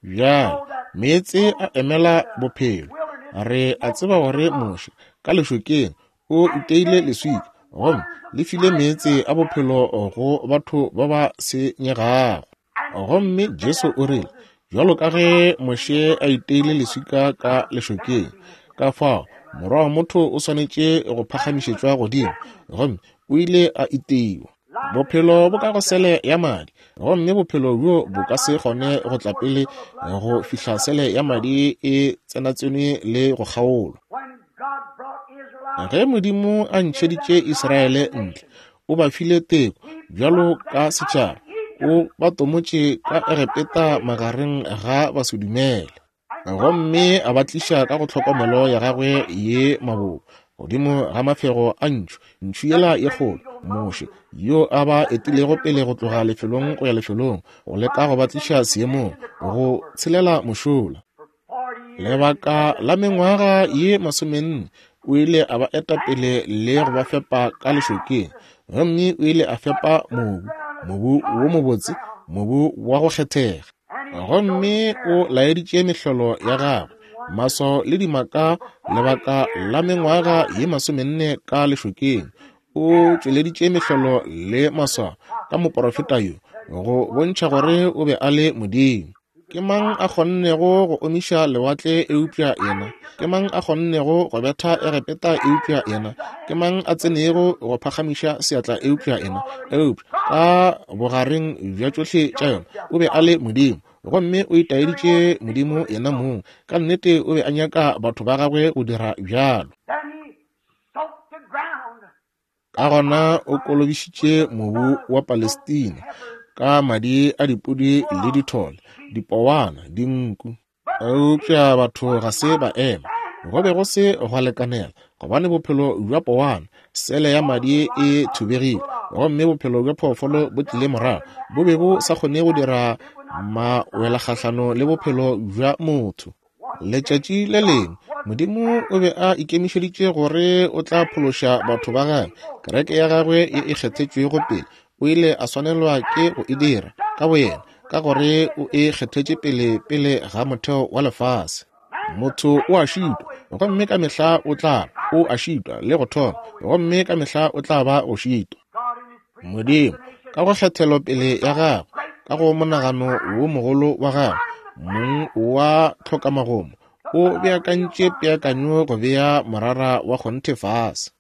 Bjale, meetse a emela bophelo. Re a tseba gore Moshe, ka lešokeng, o iteile leswika, gomme le file meetse a bophelo go batho ba ba senyegago. Gomme Jesu o rile, Bjalo ka ge Moshe a iteile leswika ka lešokeng, ka fao Morwa wa motho o swanetše go phagamišetšwa godimo, gomme o ile a iteiwa. Bophelo bo ka go sele ya madi, gomme bophelo bjo bo ka se kgone go tla pele go fihla sele ya madi e tsenatsenwe le go kgaolwa. Ge Modimo a ntšheditše Israele ntle, O ba file teko bjalo ka setšhaba. O ba tomotše ka Egepeta magareng ga basedumele, gomme a ba tliša ka go tlhokomelo ya gagwe ye mabobo godimo ga mafego a ntšhu, ntšhu yela ye kgolo, Moshe, yo a ba etilego pele go tloga lefelong go ya lefelong, go leka go ba tliša seemong, go tshelela mošola. Lebaka la mengwaga ye 40 o ile a ba eta pele le go ba fepa ka lešokeng, gomme o ile a fepa mobu, mobu wo mobotse, mobu wa go kgethega. Gomme o laeditše mehlolo ya gagwe, maswao le dimaka, lebaka la mengwaga ye 40 ka lešokeng. O tšweleditše mehlolo le maswao ka moporofeta yo, go bontšha gore o be a le Modimo. Ke mang a kgonnego go omiša lewatle eupša yena? Ke mang a kgonnego go betha Egepeta eupša yena? Ke mang a tsenego go phagamiša seatla eupša yena? Eupša ka bogareng bja tšohle tša yona o be a le Modimo, gomme o itaeditše Modimo yena mong. Ka nnete o be a nyaka batho ba gagwe go dira bjalo. Ka gona o kolobišitše mobu wa Palestina ka madi a dipudi le dithole, dipowana, dinku. Eupša batho ga se ba ema. Go be go se gwa lekanela, gobane bophelo bja powana, sele ya madi e thubegile, gomme bophelo bja phoofolo bo tlile morago, bo be bo sa kgone go dira mawelakgahlano le bophelo bja motho. Letšatši le lengwe Modimo o be a ikemišeditše gore o tla phološa batho ba gagwe, kereke ya gagwe ye e kgethetšwego pele. O ile a swanelwa ke go e dira ka boyena, ka gore o e kgethetše pele pele ga motheo wa lefase. Motho o a šitwa, gomme ka mehla o tla o a šitwa le go thoma, gomme ka mehla o tla ba go šitwa. Modimo, ka go kgethelo pele ya gagwe, ka go monagano wo mogolo wa gagwe, mong wa tlhokamagomo, o beakantše peakanyo go bea morara wa kgonthe fase.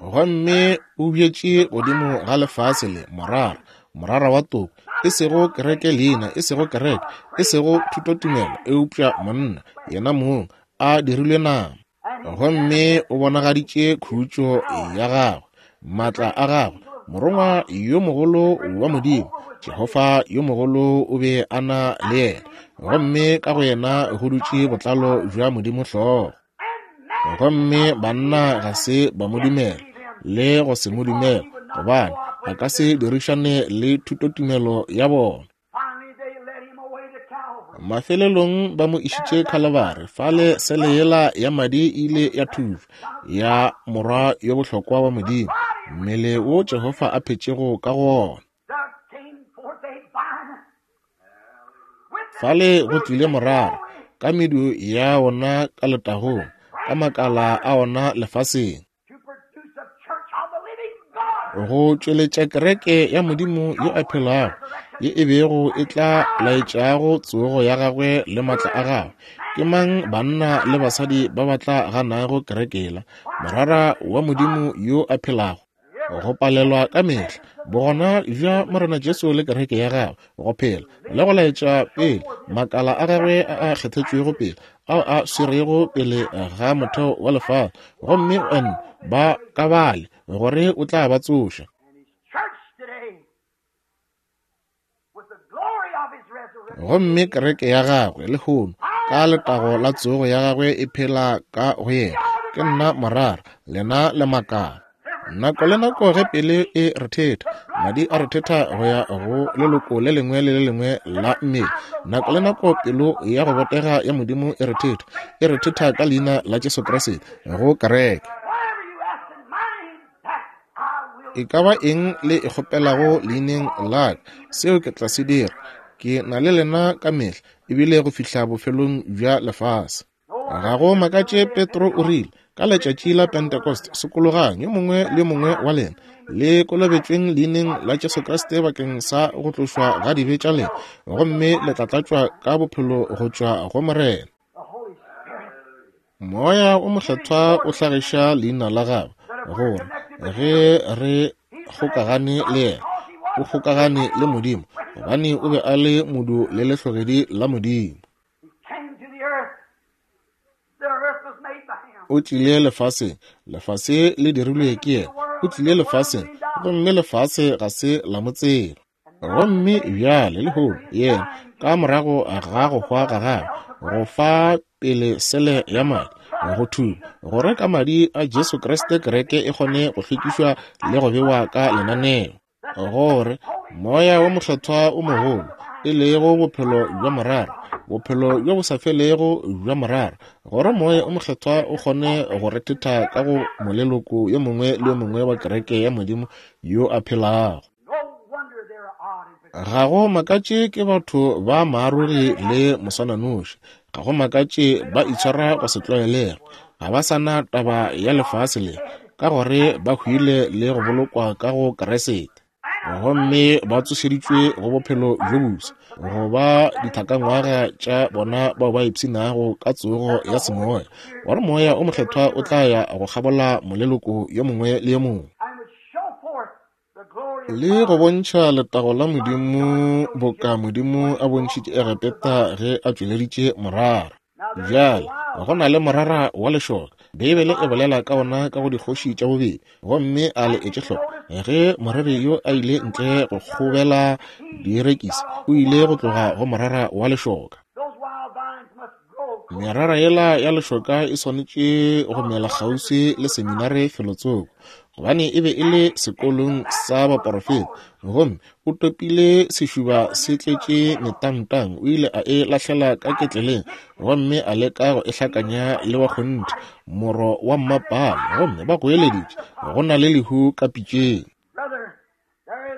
Gomme o bjetše godimo ga lefase le morara, morara wa toko, e sego kereke leina, e sego kereke, e sego thutotumelo, eupša monna, yena mong, a dirilwe nama. Gomme o bonagaditše khutšo ya gagwe, maatla a gagwe, morongwa yo mogolo wa Modimo, Jehofa yo mogolo o be a na le yena, gomme ka go yena go dutše botlalo bja Modimo hlogo. Gomme banna ga se ba mo dumela le go se mo dumela, gobane a ka se dirišane le thutotumelo ya bona. Mafelelong ba mo išitše Khalabari, fale sele yela ya madi e ile ya thujwa, ya morwa yo bohlokwa wa Modimo, mmele wo Jehofa a phetšego ka go wona. Fale go tlile morara, ka medu ya wona ka letagong, ka makala a wona lefaseng, go tšweletša kereke ya Modimo yo a phelago, ye e bego e tla laetšago tsogo ya gagwe le matla a gagwe. Ke mang banna le basadi ba ba tla ganago kerekela, morara wa Modimo yo a phelago? Go palelwa ka mehla bogona bja Morena Jesu le kereke ya gagwe go phela le go laetša pele makala a gagwe a a kgethetšwego pele, ao a swerego pele ga motheo wa lefase, gomme o ba ka bale gore o tla ba tsoša. Gomme kereke ya gagwe lehono ka letago la tsogo ya gagwe e phela ka go yena. Ke nna morara, lena le makala. Nako le nako ge pele e rethetha, madi a rethetha go ya go leloko le lengwe le le lengwe la mmele. Nako le nako pelo ya go botega ya Modimo e rethetha, e rethetha ka leina la Jesu Kriste go kereke. E ka ba eng le e kgopelago leineng la ka, seo ke tla se dira. Ke na le lena ka mehla, ebile go fihla bofelong bja lefase. Ga go makatše Petro o rile, ka letšatši la Pentecost, sokologang yo mongwe le yo mongwe wa lena, le kolobetšweng leineng la Jesu Kriste bakeng sa go tlošwa ga dibe tša lena, gomme le tla tlatšwa ka bophelo go tšwa go Morena. Moya o Mokgethwa o hlagiša leina la gagwe, gore ge re kgokagane le yena, o kgokagane le Modimo, gobane o be a le modu le lehlogedi la Modimo. O tlile lefaseng, lefase le dirilwe ke yena, O tlile lefaseng, gomme lefase ga se la mo tseba. Gomme bjale lehono, yena, ka morago ga go hwa ga gagwe, go fa pele sele ya madi, go thuba, gore ka madi a Jesu Kriste kereke e kgone go hlwekišwa le go bewa ka lenaneo, gore Moya wo Mokgethwa o mogolo, e lego bophelo bja morara, bophelo bjo bo sa felego bja morara, gore Moya o Mokgethwa o kgone go rethetha ka go moleloko yo mongwe le yo mongwe wa kereke ya Modimo yo a phelago. Ga go makatše ke batho ba maarogi le moswananoši. Ga go makatše ba itshwara go se tlwaelege. Ga ba sa na taba ya lefase le, ka gore ba hwile le go bolokwa ka go Kriste. Gomme ba tsošeditšwe go bophelo bjo bofsa, go ba dithakangwaga tša bona bao ba ipshinago ka tsogo ya semoya, gore Moya o Mokgethwa o tla ya go kgabola moleloko yo mongwe le yo mongwe, le go bontšha letago la Modimo boka Modimo a bontšhitše Egepeta ge a tšweleditše morara. Bjale, go na le morara wa lešoka. Beibele e bolela ka ona ka go Dikgoši tša Bobedi. Gomme a le etše hloko, ge moreri yo a ile ntle go kgobela dierekisi, o ile go tloga go morara wa lešoka. Merara yela ya lešoka e swanetše go mela kgauswi le seminare felotsoko, gobane e be e le sekolong sa baporofeta. Gomme o topile sešuba se tletše metangtang, o ile a e lahlela ka ketleleng gomme a leka go e hlakanya le wa kgonthe moro wa mmapale, gomme ba goeleditše, go na le lehu ka pitšeng.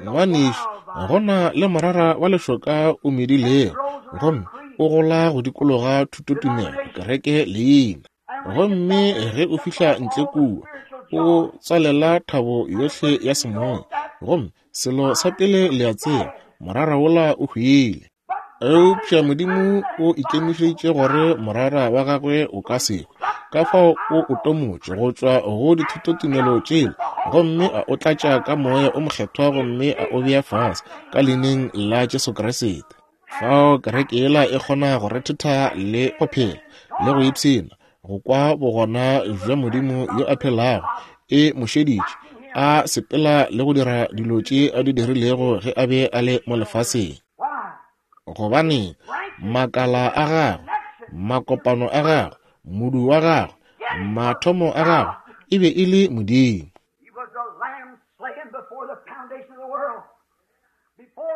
Ngwanešu, go na le morara wa lešoka o medilego, gomme o gola go dikologa thutotumelo, kereke leina. Gomme ge o fihla ntle kua, o tswalela thabo yohle ya semoya. Gomme selo sa pele le a tseba, morara wola o hwile. Eupša Modimo o ikemišeditše gore morara wa gagwe o ka se hwe. Ka fao o o tomotše go tšwa go dithutotumelo tšela, gomme a o tlatša ka Moya o Mokgethwa gomme a o bea fase ka Leineng la Jesu Kriste. Fao kereke yela e kgona go rethetha le go phela le go ipshina, go kwa bogona bja Modimo yo a phelago e mo šeditše a sepela le go dira dilo tše a di dirilego ge a be a le mo lefaseng. Gobane makala a gagwe, makopano a gagwe, modu wa gagwe, mathomo a gagwe e be e le Modimo.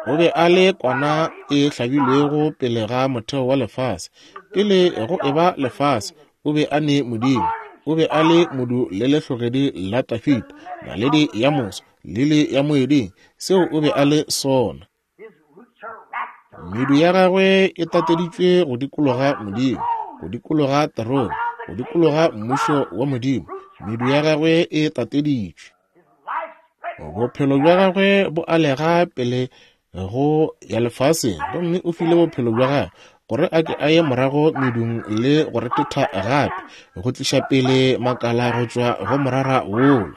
O be a le kwana e hlabilwego pele ga motheo wa lefase. Pele go eba lefase, o be a ne Modimo. O be a le modu le lehlogedi la Dafida, naledi ya moso, lili ya moeding, seo o be a le sona. Medu ya gagwe e tateditšwe go dikologa Modimo, go dikologa terone, go dikologa mmušo wa Modimo. Medu ya gagwe e tateditšwe. Bophelo bja gagwe bo alega pele go ya lefaseng, gomme o file bophelo bja gagwe gore a ke a ye morago medung le go rethetha gape, go tliša pele makala go tšwa go morara wola,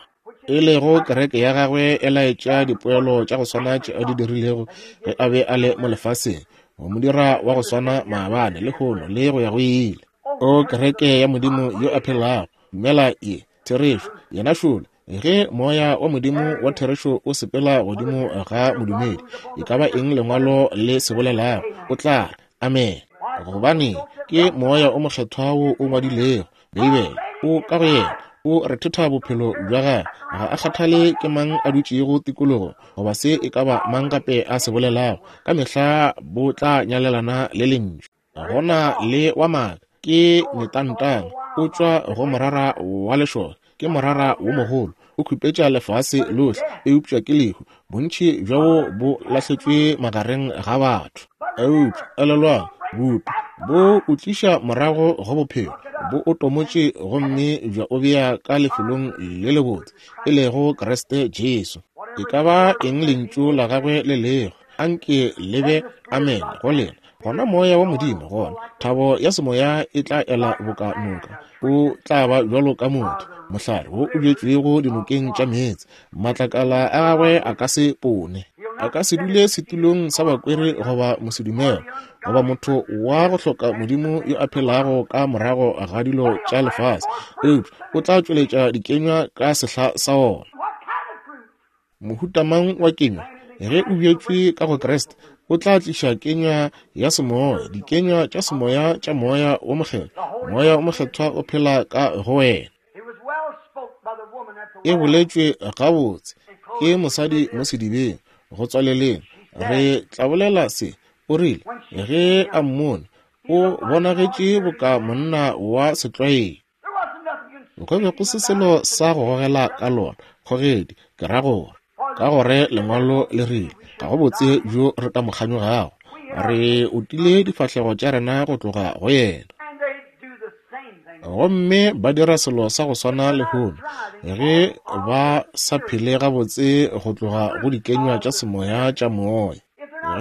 e lego kereke ya gagwe e laetša dipoelo tša go swana tše a di dirilego ge a be a le mo lefaseng, go mo dira wa go swana maabane, lehono, le go ya go ile. O kereke ya Modimo yo a phelago, dumela ye therešo, yena šole. Ge Moya wa Modimo wa therešo o sepela godimo ga modumedi, e ka ba eng Lengwalo le se bolelago, o tla re, Amene. Gobane ke Moya o Mokgethwa wo o ngwadilego Beibele, o ka go yena, o rethetha bophelo bja gagwe. Ga a kgathale ke mang a dutšego tikologo goba se e ka ba mang gape a se bolelago, ka mehla bo tla nyalelana le Lentšu. Go na le wa maaka, ke metantang, o tšwa go morara wa lešoka, ke morara wo mogolo, o khupetša lefase lohle, eupša ke lehu, bontši bja wo bo lahletšwe magareng ga batho. Eupša elelwang, bupi bo o tliša morago go bophelo, bo o tomotše gomme bja o bea ka lefelong le lebotse, e lego Kriste Jesu. E ka ba eng Lentšu la gagwe le lego, anke le be amen go lena. Gona Moya wa Modimo, gona thabo ya semoya e tla ela boka noka. O tla ba bjalo ka motho, mohlare wo o bjetšwego dinokeng tša meetse. Matlakala a gagwe a ka se pone. A ka se dule setulong sa bakweri goba mosedumele, goba motho wa go hloka Modimo yo a phelago ka morago ga dilo tša lefase, eupša o tla tšweletša dikenywa ka sehla sa ona. Mohuta mang wa kenywa? Ge o bjetšwe ka go Kriste, o tla tliša kenywa ya semoya, dikenywa tša semoya tša Moya wo Mokgethwa. Moya wo Mokgethwa o phela ka go wena. E boletšwe gabotse ke mosadi mo sedibeng, go tswaleleng. Re tla bolela se. O rile, ge a mmone, o bonagetše boka monna wa setlwaedi. Go be go se selo sa go gogela ka lona, kgogedi, ke ra gore. Ka gore Lengwalo le rile, ga go botse bjo re ka mo kganyogago. Re otile difahlego tša rena go tloga go yena. Gomme ba dira selo sa go swana lehono, ge ba sa phele gabotse go tloga go dikenywa tša semoya tša moya.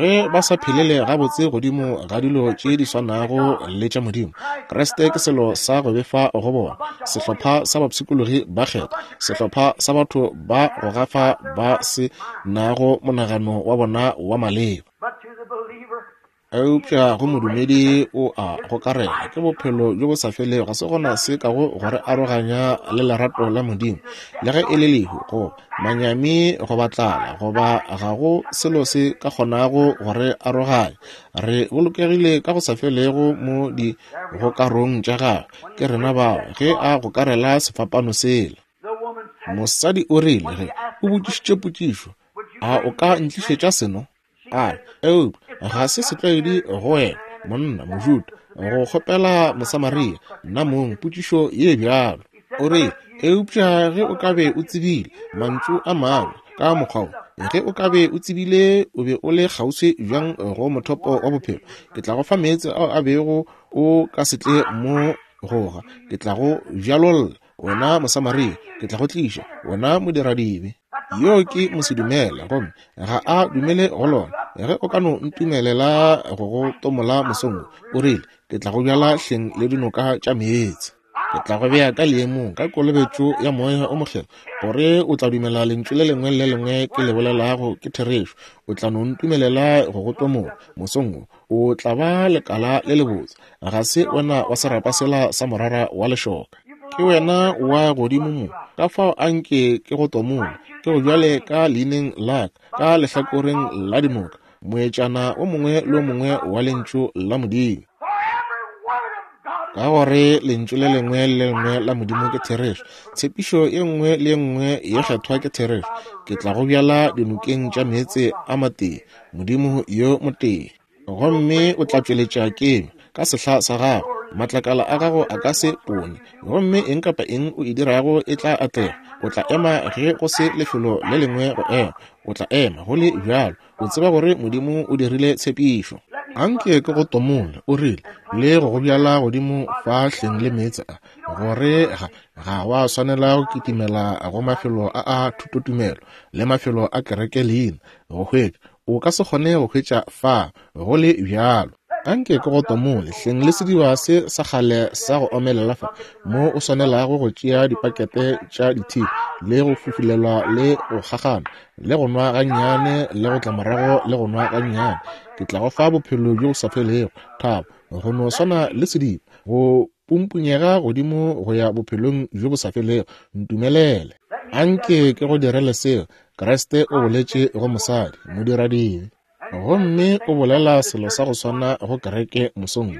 Ge ba sa phelele gabotse godimo ga dilo tše di swanago le tša Modimo, Kriste ke selo sa go befa go bona, sehlopha sa bapshikologi ba kgethwa, sehlopha sa batho ba go gafa ba se nago monagano wa bona wa maleba. Eupša go modumedi o a gokarela, ke bophelo bjo bo sa felego. Ga se gona se kago go re aroganya le lerato la Modimo, le ge e le lehu, goba manyami, goba tlala, goba ga go selo se ka kgonago go re aroganya. Re bolokegile ka go sa felego mo digokarong tša gagwe. Ke rena bao ge a gokarela sefapano sela. Mosadi o rile ge o botšišitše potšišo, A o ka ntlišetša seno? A re, Eupša ga se setlwaedi go wena, monna, Mojuda, go kgopela Mosamaria, nna mong, potšišo ye bjalo. O rile, Eupša ge o ka be o tsebile, mantšu a mangwe, ka mokgwa wo, ge o ka be o tsebile o be o le kgauswi bjang go mothopo wa bophelo, ke tla go fa meetse ao a bego o ka se tle mo go ga. Ke tla go bjalolla, wena Mosamaria, ke tla go tliša, wena modiradibe. Yo ke mosedumele, gomme ga a dumele go lona. Ge o ka no ntumelela go go tomola mosong wo, o rile, ke tla go bjala hleng le dinoka tša meetse. Ke tla go bea ka leemong ka kolobetšo ya Moya o Mokgethwa, gore o tla dumela lentšu le lengwe le le lengwe ke le bolelago ke therešo. O tla no ntumelela go go tomola mosong wo, o tla ba lekala le lebotse. Ga se wena wa serapa sela sa morara wa lešoka. Ke wena wa godimo mo. Ka fao a nke ke go tomole, ke go bjale ka leineng la ka, ka lehlakoreng la dinoka, moetšana o mongwe le o mongwe wa Lentšu la Modimo. Ka gore Lentšu le lengwe le le lengwe la Modimo ke therešo, tshepišo ye nngwe le ye nngwe ye kgethwa ke therešo, ke tla go bjala dinokeng tša meetse a matee, Modimo yo motee. Gomme o tla tšweletša kenywa ka sehla sa gago, matlakala a gago a ka se ponye, gomme eng kapa eng o e dirago e tla atlega. O tla ema ge go se lefelo le lengwe go ema, o tla ema go le bjalo, o tseba gore Modimo o dirile tshepišo. Anke ke go tomole, o rile, le go go bjala godimo fa hleng le meetse a, gore ga, ga wa swanela go kitimela go mafelo a a thutotumelo le mafelo a kereke leina go hwetša. O ka se kgone go hwetša fa, go le bjalo. Anke ke go tomole hleng le sediba se sa kgale sa go omelela fa, mo o swanelago go tšea dipakete tša dithibi le go fufulelwa le go kgakgana le go nwa gannyane le go tla morago le go nwa gannyane. Ke tla go fa bophelo bjo bo sa felego, thabo, go no swana le sediba, go pumpunyega godimo go ya bophelong bjo bo sa felego. Ntumelele. Anke ke go direle seo. Kriste o boletše go mosadi, modiradibe. Gomme o bolela selo sa go swana go kereke mosong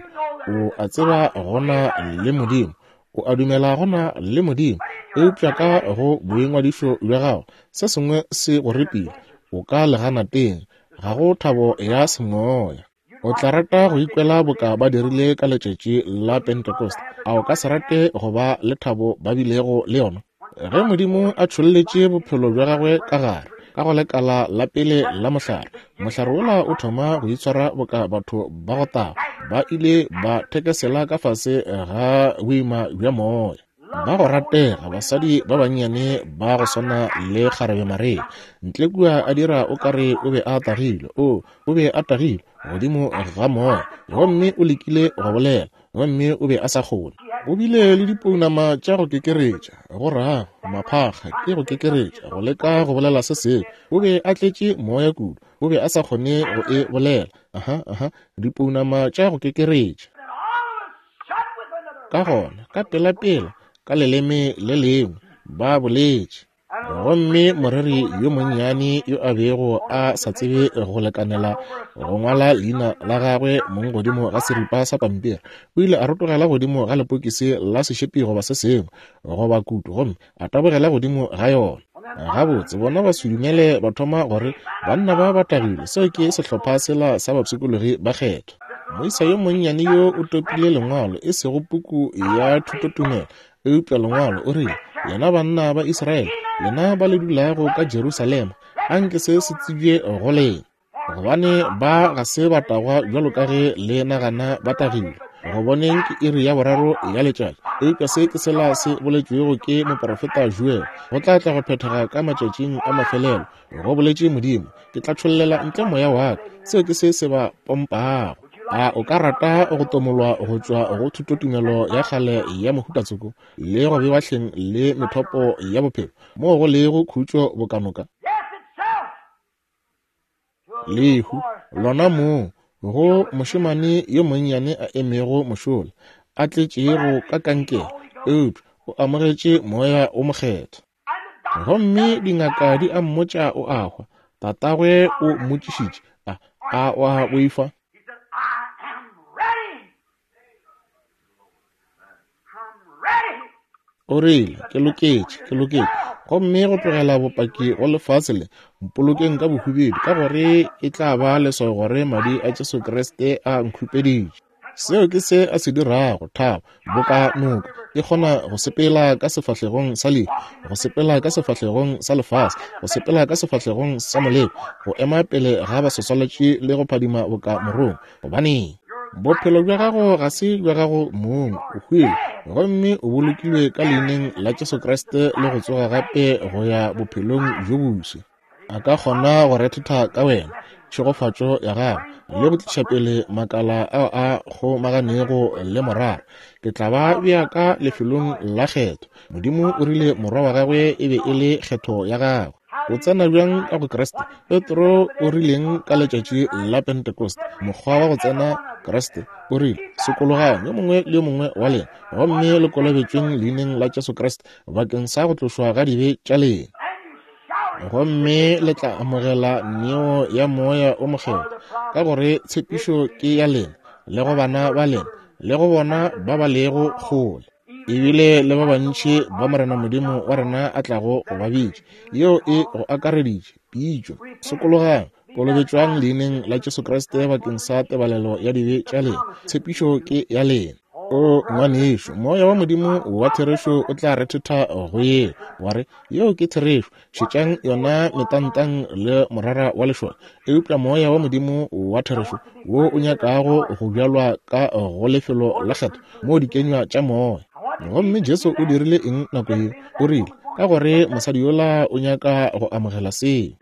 wo. O a tseba go na le Modimo. O a dumela go na le Modimo. Eupša ka go boingwadišo bja gago, se sengwe se go repile. O ka leganateng. Ga go thabo ya semoya. O tla rata go ikwela boka ba dirile ka letšatši la Pentecost. A o ka se rate go ba le thabo ba bilego le yona? Ge Modimo a tšholletše bophelo bja gagwe ka gare, ka go lekala la pele la mohlare, mohlare wola o thoma go itshwara boka batho ba go taga ba ile ba thekesela ka fase ga boima bja moya. Ba go ratega, basadi ba bannyane ba go swana le kgarebe Maria, ntle kua a dira o ka re o be a tagilwe. O, o be a tagilwe godimo ga moya, gomme o lekile go bolela, gomme o be a sa kgone. O bile le dipounama tša go kekeretša, go rago, maphakga ke go kekeretša, go leka go bolela se sengwe. O be a tletše moya kudu, o be a sa kgone go e bolela. Aha, aha, dipounama tša go kekeretša. Ka gona, ka pelapela, ka leleme le lengwe, ba boletše. Gomme moreri yo monnyane yo a bego a sa tsebe go lekanela go ngwala leina la gagwe mong godimo ga seripa sa pampiri, o ile a rotogela godimo ga lepokisi la sešepi goba se sengwe, goba kutu, gomme a tabogela godimo ga yona. Gabotse, bona basedumele ba thoma gore banna ba ba tagilwe, seo ke sehlopha sela sa bapshikologi ba kgethwa. Moisa yo monnyane yo o topile lengwalo, e sego puku ya thutotumelo, eupša lengwalo, o rile, Lena banna ba Israele, lena ba le dulago ka Jerusalema, anke se se tsebje go lena, gobane ba ga se ba tagwa bjalo ka ge le nagana ba tagilwe. Go boneng ke iri ya boraro ya letšatši, eupša se ke sela se boletšwego ke moprofeta Joel, go tla tla go phethega ka matšatšing a mafelelo, go boletše Modimo, ke tla tšhollela ntle moya wa ka. Seo ke se se ba pompago. A o ka rata go tomolwa go tšwa go thutotumelo ya kgale ya mohutatsoko le go bewa hleng le methopo ya bophelo moo go lego khutšo bokanoka? Lehu, lona moo, go mošemane yo monnyane a emego mošola, a tletšego ka kankere, eupša o amogetše Moya wo Mokgethwa. Gomme dingaka di a mmotša o a hwa. Tatagwe o mmotšišitše, a, a o a boifa? O rile, Ke loketše, ke loketše. Gomme go tlogela bopaki go lefase le, mpolokeng ka bohubedu, ka gore e tla ba leswao gore madi a Jesu Kriste a nkhupeditše. Seo ke se a se dirago, thabo, boka noka, e kgona go sepela ka sefahlegong sa lehu, go sepela ka sefahlegong sa lefase, go sepela ka sefahlegong sa moleko, go ema pele ga baswaswalatši le go phadima boka morongwa. Gobaneng? Bophelo bja gago ga se bja gago mong, o hwile gomme o bolokilwe ka leineng la Jesu Kriste le go tsoga gape go ya bophelong bjo boswa. A ka kgona go rethetha ka wena tšhegofatšo ya gagwe le go tliša pele makala ao a kgomaganego le morara. Ke tla ba bea ka lefelong la kgetho. Modimo o rile morwa wa gagwe e be e le kgetho ya gagwe. O tsena bjang ka go Kriste? Petro o rileng ka letšatši la Pentecost? Mokgwa wa go tsena Kriste o rile, Sokologang yo mongwe le yo mongwe wa lena, gomme le kolobetšweng leineng la Jesu Kriste bakeng sa go tlošwa ga dibe tša lena, gomme le tla amogela neo ya Moya o Mokgethwa, ka gore tshepišo ke ya lena le go bana ba lena le go bona ba ba lego kgole, ebile le ba bantši ba Morena Modimo wa rena a tlago go ba bitša. Yeo e go akareditše pitšo. Sokologang, kolobetšwang leineng la Jesu Kriste bakeng sa tebalelo ya dibe tša lena. Tshepišo ke ya lena. O ngwanešu, Moya wa Modimo wa therešo o tla rethetha go yeo, wa re, Yeo ke therešo. Šetšang yona metantang le morara wa lešoka. Eupša Moya wa Modimo wa therešo wo o nyakago go bjalwa ka go lefelo la kgetho moo dikenywa tša Moya. Gomme Jesu o dirile eng nako yeo? O rile, Ka gore mosadi yola o nyaka go amogela seo.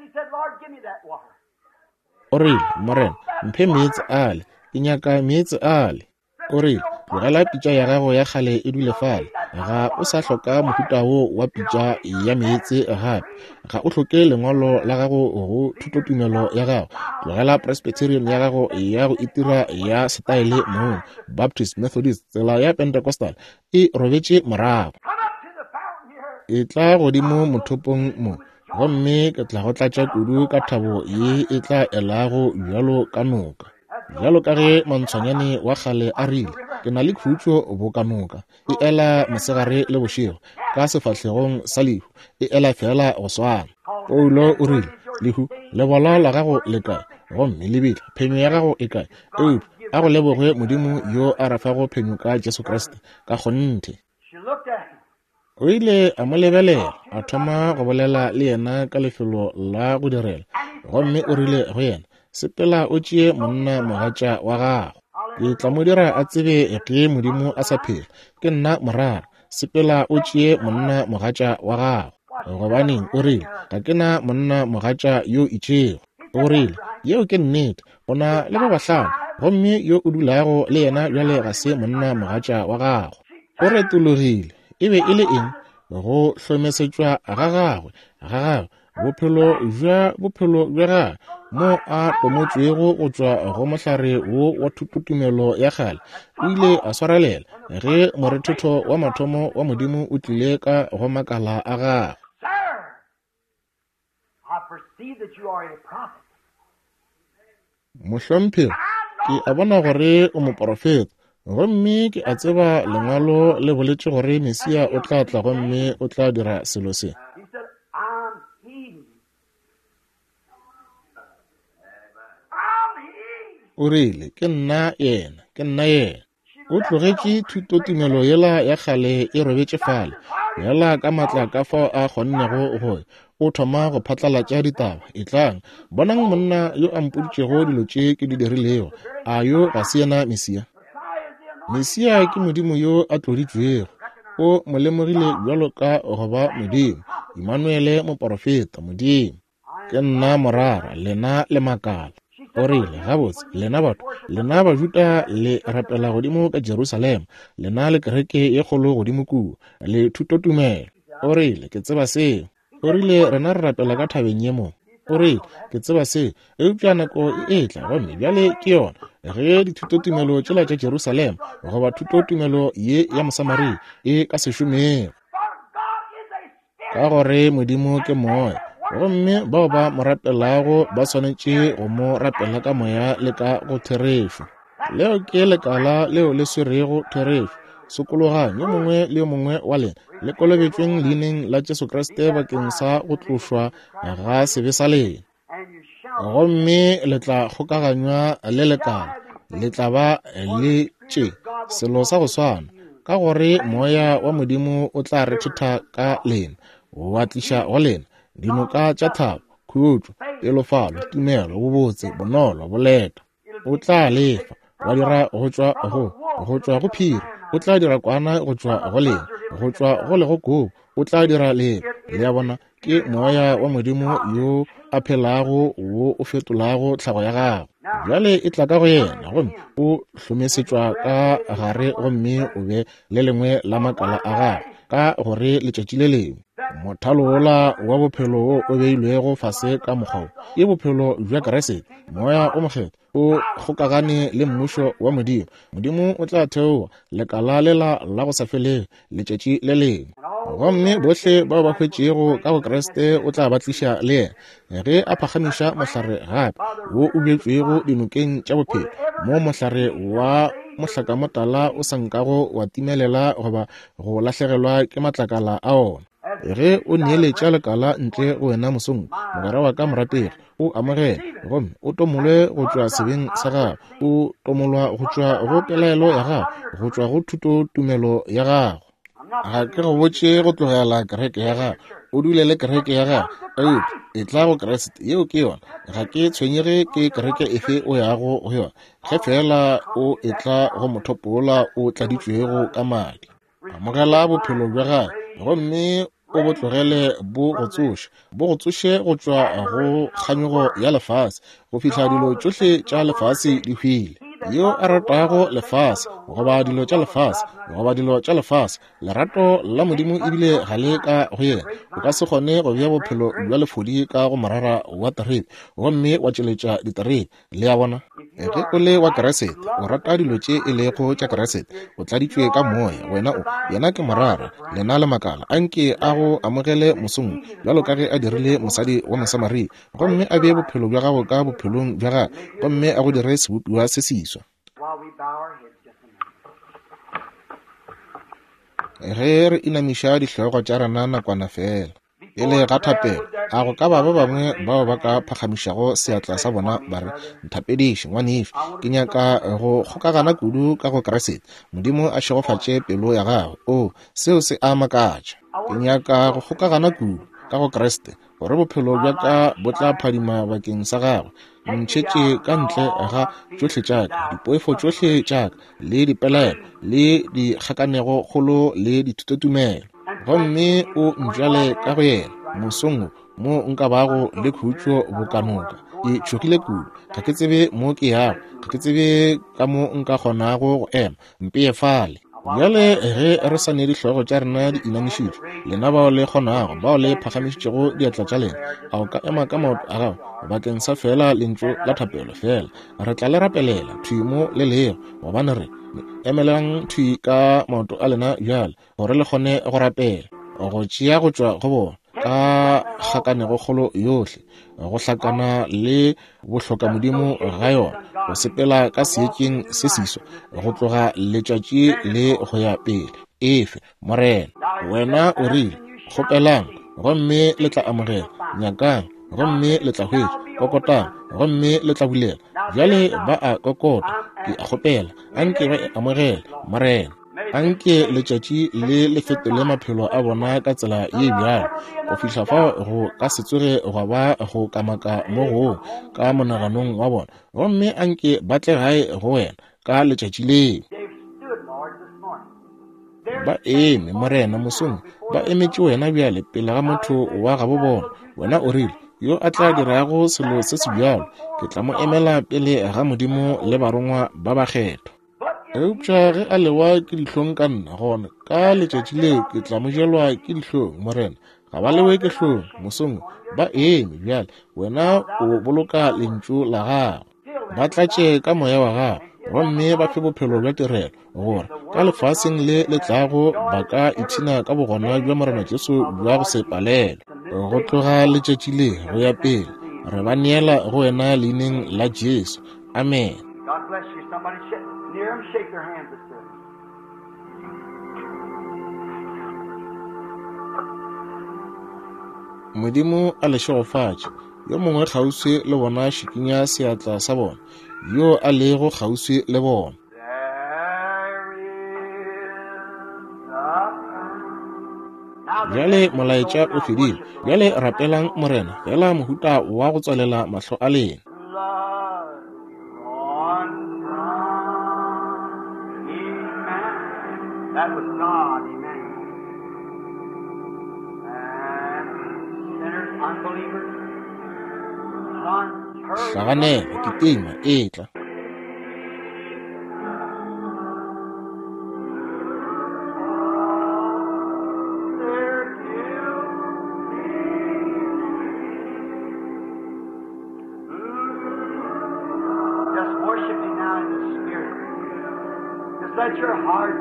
O rile, Morena, mphe meetse ale. Ke nyaka meetse ale. O rile, Tlogela pitša ya gago ya kgale e dule fale. Ga o sa hloka mohuta wo wa pitša ya meetse gape. Ga o hloke lengwalo la gago go thutotumelo ya gago. Tlogela Presbyterian ya gago ya go itira ya setaele mong, Baptist, Methodist, tsela ya Pentecostal e robetše morago. Etla godimo mothopong mo, gomme ke tla go tlatša kudu ka thabo ye e tla elago bjalo ka noka. Bjalo ka ge mantshwanyane wa kgale a rile, Ke na le khutšo boka noka, e ela mosegare le bošego, ka sefahlegong sa lehu, e ela feela go swana. Paulo o rile, Lehu, lebola la gago le kae? Gomme lebitla, phenyo ya gago e kae? Eupša a go lebogwe Modimo yo a re fago phenyo ka Jesu Kriste. Ka kgonthe. O ile a mo lebelela, a thoma go bolela le yena ka lefelo la go direla, gomme o rile go yena, Sepela o tšee monna mogatša wa gago. Ke tla mo dira a tsebe ge Modimo a sa phela. Ke nna morara. Sepela o tšee monna mogatša wa gago. Gobaneng, o rile, ga ke na monna mogatša yo itšego. O rile, Yeo ke nnete. O na le ba bahlano, gomme yo o dulago le yena bjale ga se monna mogatša wa gago. O retologile. E be e le eng? Go hlomesetšwa ga gagwe, ga gagwe, bophelo bja bophelo bja gagwe, mo a tomotšwego go tšwa go mohlare wo wa thutotumelo ya kgale, o ile a swarelela ge morethetho wa mathomo wa Modimo o tlile ka go makala a gagwe. Mohlomphegi, ke a bona gore o moporofeta. Gomme ke a tseba Lengwalo le boletše gore Mesia o tla tla gomme o tla dira selo se. O rile, Ke nna Yena. Ke nna Yena. O tlogetše thutotumelo yela ya kgale e robetše fale, yela ka maatla ka fao a kgonnego go ya. O thoma go phatlalatša ditaba, Etlang, bonang monna yo a mpoditšego dilo tše ke di dirilego. A yo ga se yena Mesia? Mesia ke Modimo yo a tloditšwego. O mo lemogile bjalo ka go ba Modimo, Imanuele moporofeta, Modimo. Ke nna morara, lena le makala. O rile, Gabotse, lena batho, lena Bajuda le rapela godimo ka Jerusalema, lena le kereke ye kgolo godimo kua, le thutotumelo. O rile, Ke tseba seo. O rile, Rena re rapela ka thabeng ye mo. O rile, Ke tseba seo, eupša nako e etla, gomme bjale ke yona, ge dithutotumelo tšela tša Jerusalema goba thutotumelo ye ya Mosamaria e ka se šomego. Ka gore Modimo ke Moya, gomme bao ba mo rapelago ba swanetše go mo rapela ka moya le ka go therešo. Leo ke lekala leo le swerego therešo. Sokologang yo mongwe le yo mongwe wa lena, le kolobetšweng leineng la Jesu Kriste bakeng sa go tlošwa ga sebe sa lena. Gomme le tla kgokaganywa le lekala, le tla ba le tše selo sa go swana, ka gore Moya wa Modimo o tla rethetha ka lena, wa tliša go lena dinoka tša thabo, khutšo, pelofalo, tumelo, bobotse, bonolo, boleta. O tla lefa wa dira go tšwa go go tšwa go phiri, o tla dira kwana go tšwa go lena, go tšwa go legokobo o tla dira lena. Le a bona, ke Moya wa Modimo yo a phelago wo o fetolago tlhago ya gago. Bjale e tla ka go yena gomme o hlomesetšwa ka gare gomme o be le lengwe la makala a gagwe, ka gore letšatši le lengwe mothalo wola wa bophelo wo o beilwego fase ka mokgwa wo ke bophelo bja Kriste, Moya o Mokgethwa o kgokagane le mmušo wa Modimo. Modimo o tla theoga lekala lela la go sa felego letšatši le lengwe, gomme bohle bao ba hwetšego ka go Kriste o tla ba tliša le yena ge a phagamiša mohlare gape wo o bjetšwego dinokeng tša bophelo, mo mohlare wa mohlakamotala o sa nkago wa timelela goba go lahlegelwa ke matlakala a ona. Ge o neeletša lekala ntle go wena mosong, mogwera wa ka morategi, o amogele gomme o tomolwe go tšwa sebeng sa gago, o tomolwa go tšwa go pelaelo ya gago, go tšwa go thutotumelo ya gago. Ga ke go botše go tlogela kereke ya gago, o dule le kereke ya gago, eupša etla go Kriste. Yeo ke yona. Ga ke tshwenyege ke kereke efe o yago go yona, ge feela o etla go mothopo wola o tladitšwego ka madi. Amogela bophelo bja gagwe gomme o bo tlogele bo go tsoše, bo go tsoše go tšwa go kganyogo ya lefase go fihla dilo tšohle tša lefase di hwile. Yo a ratago lefase goba dilo tša lefase goba dilo tša lefase, lerato la Modimo ebile ga le ka go yena. O ka se kgone go bea bophelo bja lefodi ka go morara wa terebe gomme wa tšweletša diterebe. Le a bona? Ge o le wa Kriste, o rata dilo tše e lego tša Kriste, o tladitšwe ka Moya, wena o, Yena ke Morara, lena le makala. A nke a go amogele mosong wo, bjalo ka ge a dirile mosadi wa Mosamaria, gomme a bee bophelo bja gago ka bophelong bja gagwe, gomme a go dire sebopiwa se seswa. Ge re inamiša dihlogo tša rena nakwana feela. Pele ga thapelo, a go ka ba ba bangwe bao ba ka phagamišago seatla sa bona ba re, Nthapediše, ngwanešu, ke nyaka go kgokagana kudu ka go Kriste. Modimo a šegofatše pelo ya gago. Oo, seo se a makatša. Ke nyaka go kgokagana kudu ka go Kriste, gore bophelo bja ka bo tla phadima bakeng sa Gagwe. Ntšhetše ka ntle ga tšohle tša ka, dipoifo tšohle tša ka, le dipelaelo, le dikgakanego kgolo, le dithutotumelo. Gomme o ntšwale ka go yena mosong wo, mo nka bago le khutšo boka noka. Ke tšhogile kudu, ga ke tsebe mo ke yago, ga ke tsebe ka mo nka kgonago go ema. Mpeye fale. Bjale ge re sa ne dihlogo tša rena di inamišitšwe, lena bao le kgonago, bao le phagamišitšego diatla tša lena, a o ka ema ka maoto a gago bakeng sa feela lentšu la thapelo feela? Re tla le rapelela thwi mo le lego, gobane re emelang thwi ka maoto a lena bjale, gore le kgone go rapela, go tšea go tšwa go bona. Ka kgakanegokgolo yohle, go hlakana le bohlokamodimo ga yona, go sepela ka seetšeng se seswa go tloga letšatši le go ya pele. Efe, Morena, wena o rile, kgopelang gomme le tla amogela, nyakang gomme le tla hwetša, kokotang gomme le tla bulela. Bjale ba a kokota, ke a kgopela, anke ba e amogele, Morena. Anke letšatši le le fetole maphelo a bona ka tsela ye bjalo, go fihla fao go ka se tsoge gwa ba go kamaka mo gongwe ka monaganong wa bona, gomme anke ba tle gae go wena ka letšatši leo. Ba eme, Morena, mosong, ba emetše wena bjale pele ga motho wa gabo bona. Wena o rile, yo a tla dirago selo se se bjalo, ke tla mo emela pele ga Modimo le barongwa ba bakgethwa. Eupša ge a lewa ke dihlong ka nna, gona ka letšatši leo ke tla mo jelwa ke dihlong. Morena, ga ba lewe ke hlong mosong, ba eme bjale. Wena o boloka lentšu la gago. Ba tlatše ka moya wa gago gomme ba fe bophelo bja tirelo, gore ka lefaseng le le tlago ba ka ipshina ka bogona bja Morena Jesu bja go se palelwe. Go tloga letšatši le go ya pele, re ba neela go wena leineng la Jesu. Amen. God bless you. Somebody near them, shake their hands at them. Modimo a le šegofatše. Yo mongwe kgauswi le bona šikinya seatla sa bona, yo a lego kgauswi le bona. There is a Now the Bjale molaetša o fedile. Bjale rapelang Morena, fela mohuta wa go tswalela mahlo a lena. blood drawn from Emmanuel. That was God, Emmanuel. And sinners, unbelievers, plunge, hurry, Hlaganela, kitima, etla. Their guilty. Just worship Him now in the Spirit. Just let your heart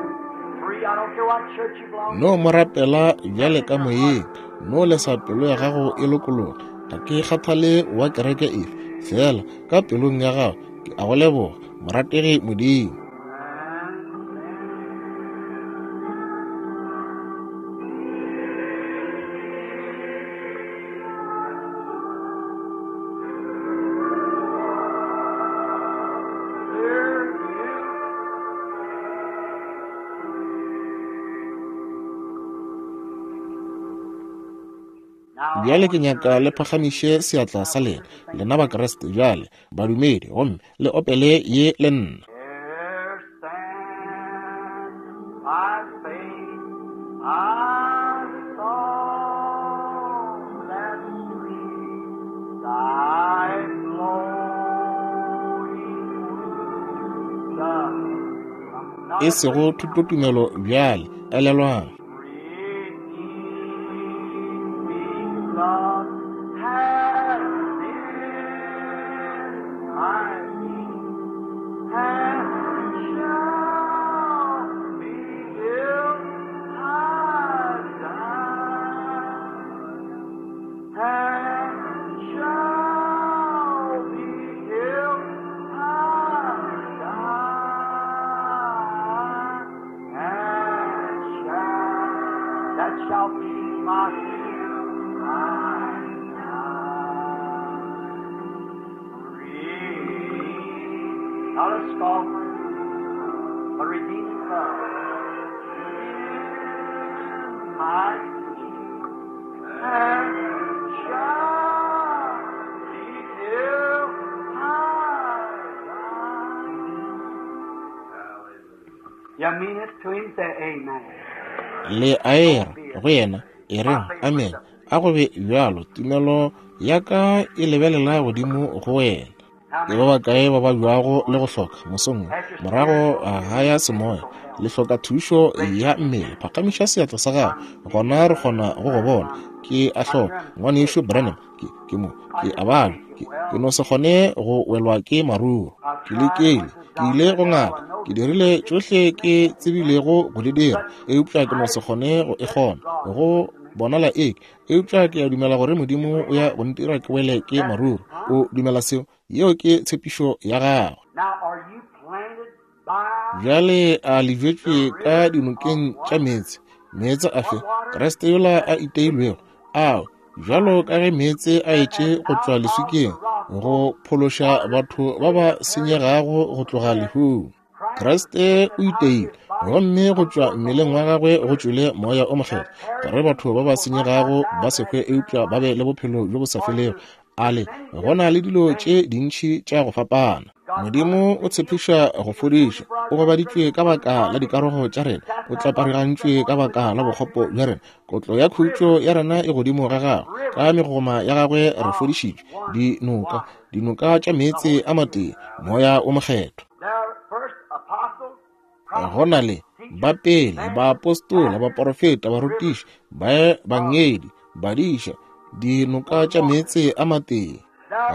free. I don't care what church you belong No mo rapela bjale ka moyeng, no lesa pelo ya gago e lokologa. Ga ke kgathale wa kereke efe, fela ka pelong ya gago ke a go leboga, morategi Modimo. Bjale ke nyaka le phagamiše seatla sa lena, lena Bakriste bjale, badumedi, gomme le opele ye le nna. Here stand by faith, I saw that stream, thy flowing wisdom. E sego thutotumelo bjale, elelwang. Redeeming love has been my peace, and shall be till I die. And shall be till I die. And shall, that shall be my my Redeemed, not a scoffer, but redeeming love. In my and shall be till I die. You mean it to him? Say amen. Le a era go yena, e reng amen. A go be bjalo, tumelo ya ka e lebelela godimo go wena. Ke ba bakae ba ba bjago le go hloka mosong wo, morago ga ya semoya, le hloka thušo ya mmele, phagamiša seatla sa gago, gona re kgona go go bona. Ke a hloka, ngwanešu Branham, ke mo, ke a balwa, ke no se kgone go welwa ke maruru. Ke lekile, ke ile go ngaka, ke dirile tšohle ke tsebilego go di dira, eupša ke no se kgone go e kgona. Go bonala eke, eupša ke a dumela gore Modimo o ya go ntira ke wele ke maruru. O dumela seo? Yeo ke tshepišo ya gagwe. Bjale a le bjetšwe ka dinokeng tša meetse? Meetse afe? Kriste yola a iteilwego, ao bjalo ka ge meetse a etše go tšwa leswikeng go phološa batho ba ba senyegago go tloga lehung. Kriste o iteile, gomme go tšwa mmeleng wa gagwe go tšwele moya o mokgethwa, gore batho ba ba senyegago ba se hwe eupša ba be le bophelo bjo bo sa felego. Ale go na le dilo tše dintši tša go fapana. Modimo o tshepiša go fodiša. O gobaditšwe ka baka la dikarogo tša rena, o tlaparigantšwe ka baka la bokgopo bja rena. Kotlo ya khutšo ya rena e godimo ga gagwe, ka megoma ya gagwe re fodišitšwe. Dinoka, dinoka tša meetse a matee, moya o mokgethwa. Go na le ba pele, baapostola, baporofeta, barutiši, baebangedi, badiša, dinoka tša meetse a matee.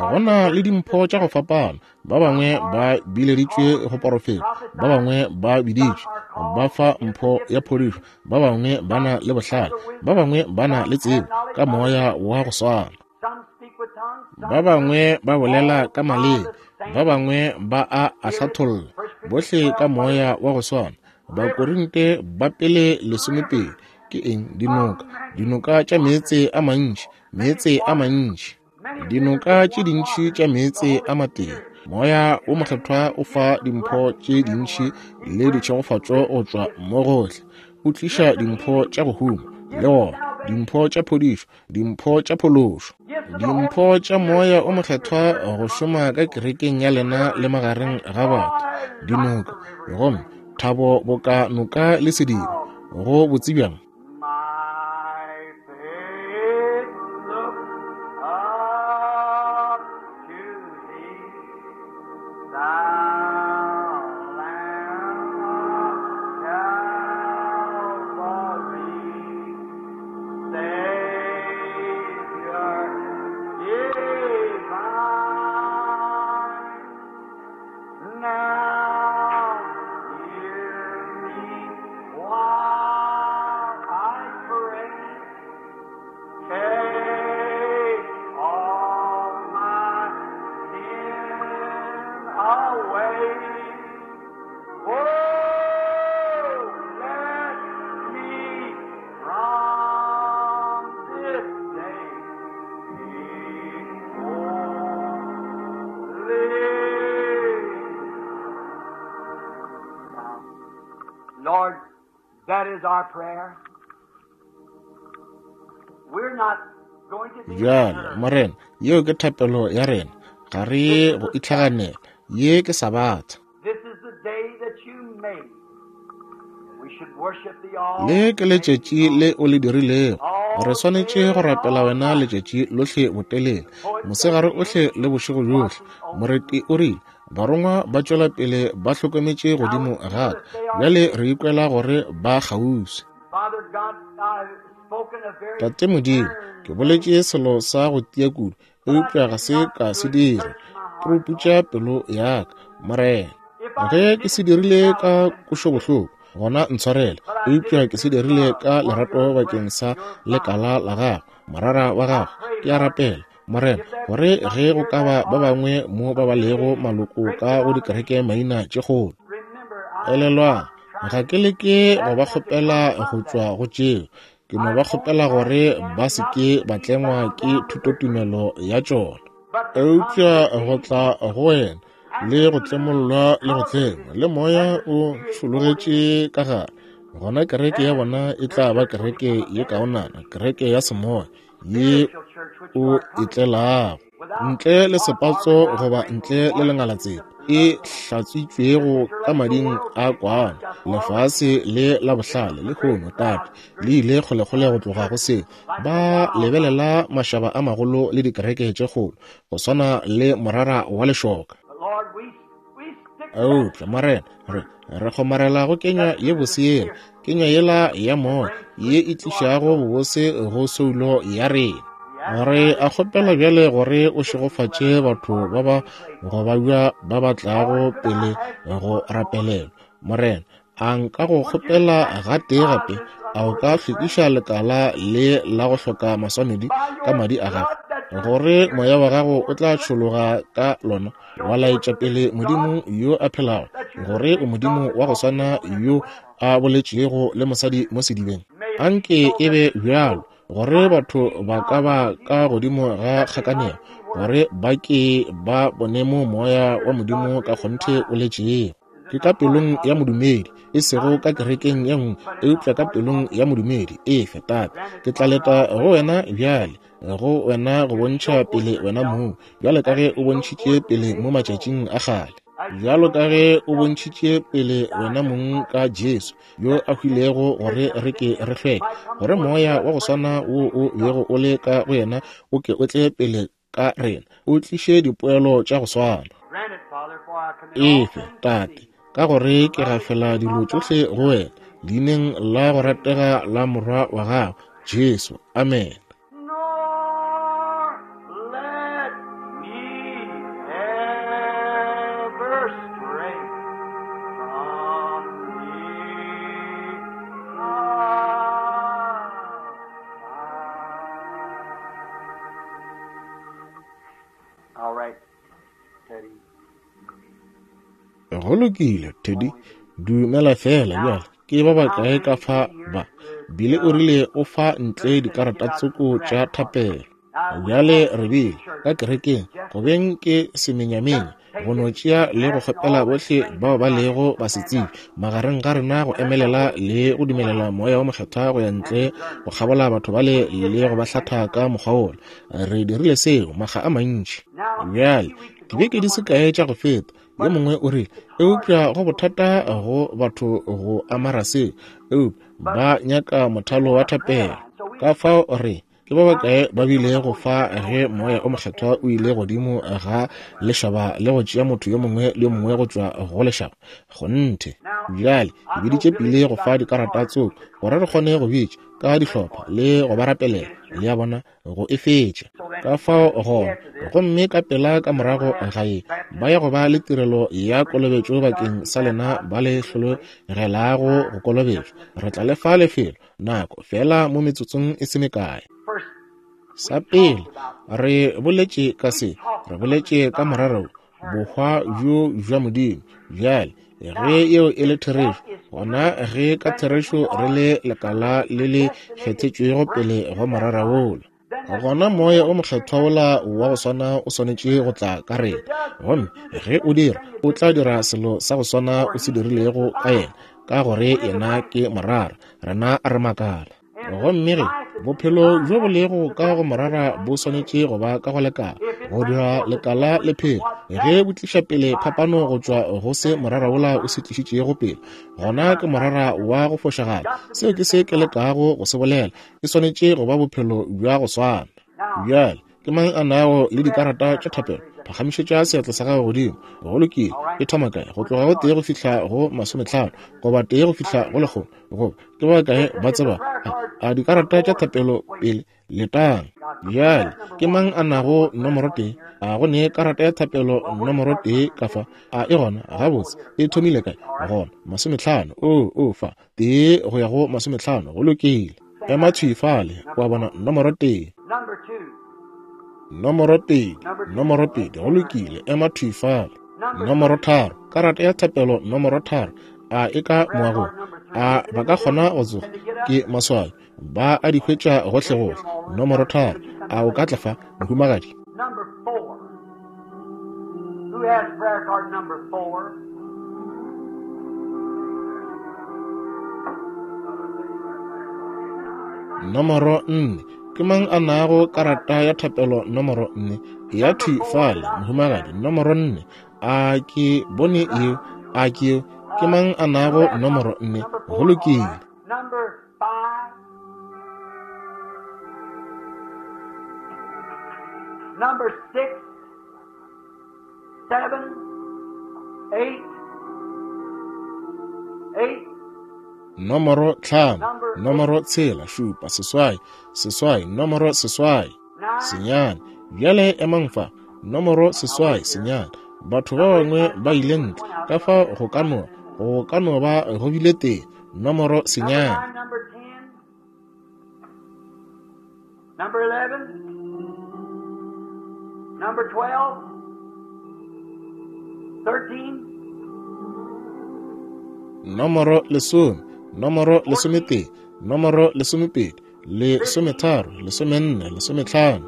Go na le dimpho tša go fapana. Ba bangwe ba bileditšwe go porofeta, ba bangwe ba biditšwe ba fa mpho ya phodišo, ba bangwe ba na le bohlale, ba bangwe ba na le tsebo ka moya wa go swana. Ba bangwe ba bolela ka maleme, ba bangwe ba a a hlatholla, bohle ka moya wa go swana. Bakorinte ba pele 12 ke eng? Dinoka, dinoka tša meetse a mantši, meetse a mantši, dinoka tše dintši tša meetse a matee. Moya o mokgethwa o fa dimpho tše dintši le ditšhegofatšo go tšwa mo gohle. O tliša dimpho tša go huma le gona, dimpho tša phodišo, dimpho tša phološo, dimpho tša moya o mokgethwa go šoma ka kerekeng ya lena le magareng ga batho, dinoka, gomme thabo boka noka le sediba. Go botse bjang! My faith look up to thee, thou Lamb of Calvary, Savior divine. Now hear me while I pray. Take all my sin away. Oh, let me from this day be holy. Now, Lord, that is our prayer. We're not going to be Bjale, hurt. Morena, yeo ke thapelo ya rena. Ga re ye go itlhaganela. Ye ke Sabatha. This is the day that you made. We should worship thee all Le ke day letšatši long. le o le dirilego. Re swanetše go rapela wena letšatši lohle botelele, mosegare ohle le bošego bjohle. Moreti o rile, barongwa ba tšwela pele ba hlokometše godimo ga ka. Bjale re ikwela gore ba kgauswi. Father God, I've spoken a very Tate Modimo, ke boletše selo sa go tia kudu, eupša ga se ka se dira. Puruputša pelo ya ka, Morena. Ge ke se dirile ka kwešobohloko, gona ntshwarele, eupša ke se dirile ka lerato bakeng sa lekala la gago, morara wa gago. Ke a rapela, Morena, gore ge go ka ba ba bangwe mo ba ba lego maloko ka go dikereke maina tše kgolo, elelwang, ga ke leke go ba kgopela go tšwa go tšeo, ke no ba kgopela gore ba se ke ba tlengwa ke thutotumelo ya tšona, eupša go tla go wena le go tlemollwa le go tlengwa le moya o tšhologetše ka gare, gona kereke ya bona e tla ba kereke ye kaonana, kereke ya semoya ye o e tlelago, ntle le sepatso goba ntle le lengalatsepa, e hlatswitšwego ka mading a kwana. Lefase le la bohlale lehono, Tate, le ile kgolekgole go tloga go seo. Ba lebelela mašaba a magolo le dikereke tše kgolo go swana le morara wa lešoka. But Lord, we stick to that. Eupša Morena, re kgomarela go kenywa ye bose yela, kenywa yela ya moya ye e tlišago bobose go soulo ya rena. Re a kgopela bjale gore o šegofatše batho ba ba go babja ba ba tlago pele go rapelelwa. Morena, a nka go kgopela gatee gape, A o ka hlwekiša lekala le la go hloka maswanedi ka madi a gago, gore moya wa gago o tla tšhologa ka lona, wa laetša pele Modimo yo a phelago, gore o Modimo wa go swana yo a boletšego le mosadi mo sedibeng? Anke e be bjalo, gore batho ba ka ba ka godimo ga kgakanego, gore ba ke ba bone mo moya wa Modimo ka kgonthe o letšego. Ke ka pelong ya modumedi, e sego ka kerekeng ye nngwe, eupša ka pelong ya modumedi. Efe, Tate, ke tla leta go wena bjale, go wena go bontšha pele wena mong, bjalo ka ge o bontšhitše pele mo matšatšing a kgale, bjalo ka ge o bontšhitše pele wena mong ka Jesu yo a hwilego gore re ke re hlweke, gore moya wa go swana wo o bego o le ka go yena o ke o tle pele ka rena, o tliše dipoelo tša go swana. Efe, Tate, ka gore ke gafela dilo tšohle go wena, leineng la go ratega la Morwa wa gago, Jesu. Amen. Nor let me ever stray from thee. All right, Teddy. Go lokile, Teddy. Dumela fela bjale. Ke ba bakae ka fa ba? Bile o rile o fa ntle dikarata tsoko tša thapelo. Bjale re bile ka kerekeng go beng ke semenyamenya go no tšea le go kgopela bohle bao ba lego basetsebje magareng ga rena go emelela le go dumelela Moya wo Mokgethwa go ya ntle go kgabola batho bale le go ba hlatha ka mokgwa wola. Re dirile seo makga a mantši. Bjale, dibeke di se kae tša go feta, yo mongwe o rile, eupša go bothata go batho go amara seo, eupša ba nyaka mothalo wa thapelo. Ka fao re ke ba bakae ba bile go fa ge Moya o Mokgethwa o ile godimo ga lešaba le go tšea motho yo mongwe le yo mongwe go tšwa go lešaba? Kgonthe. Bjale, ke biditše pele go fa dikarata tsoko gore re kgone go bitša ka dihlopha le go ba rapelela, le a bona, go e fetša. Ka fao gona, gomme ka pela ka morago ga ye, ba ya go ba le tirelo ya kolobetšo bakeng sa lena ba le hlologelago go kolobetšwa. Re tla le fa lefelo, nako feela mo metsotsong e se mekae. Sa pele, re boletše ka se, re boletše ka morero bohwa bjo bja Modimo. Bjale, ge yeo e le therešo, gona ge ka therešo re le lekala le le kgethetšwego pele go morara wola, gona Moya o Mokgethwa wola wa go swana o swanetše go tla ka rena. Gomme ge o dira, o tla dira selo sa go swana o se dirilego ka yena, ka gore yena ke morara, rena re makala. Gomme ge bophelo bjo bo lego ka go morara bo swanetše go ba ka go lekala, go dira lekala le phele, ge bo tliša pele phapano go tšwa go se morara wola o se tlišitšego pele, gona ke morara wa go fošagala. Seo ke se ke lekago go se bolela. E swanetše go ba bophelo bja go swana. Bjale, ke mang a nago le dikarata tša thapelo? Phagamišetša seatla sa gago godimo. Go lokile. E thoma kae? Go tloga go 1 go fihla go 50, goba 1 go fihla go 100, goba ke ba kae ba tseba a dikarata tša thapelo pele? Letang. Bjale, ke mang a nago nomoro 1? A go ne karata ya thapelo nomoro 1 ka fa? A e gona? Gabotse, e thomile kae? Gona, 50. Oo, oo, fa. 1 go ya go 50. Go lokile. Ema thwi fale, wa bona, nomoro 1. Nomoro 2, nomoro 2, go lokile, ema thwi fale. Nomoro 3, karata ya thapelo nomoro 3, a e ka moagong? A ba ka kgona go tsoga? Ke maswabi, ba a di hwetša gohlegohle. Nomoro 3, a o ka tla fa, mohumagadi? Number 4. Who has prayer card number 4? Nomoro 4. Ke mang a nago karata ya thapelo nomoro 4? Ya thwi fale, mohumagadi. Nomoro 4. A ke bone eo? A ke eo? Ke mang a nago nomoro 4? Go lokile. Number 5. Number 6, 7, 8, 8. Nomoro 5, nomoro 6, 7, 8, 8, nomoro 8, 9. Bjale emang fa, nomoro 8, 9. Batho ba bangwe ba ile ntle, ka fao go ka no ba go bile tee, nomoro 9. Number 10. Number 11. Number 12. 13. Nomoro 10, nomoro 11, nomoro 12, 13, 14, 15.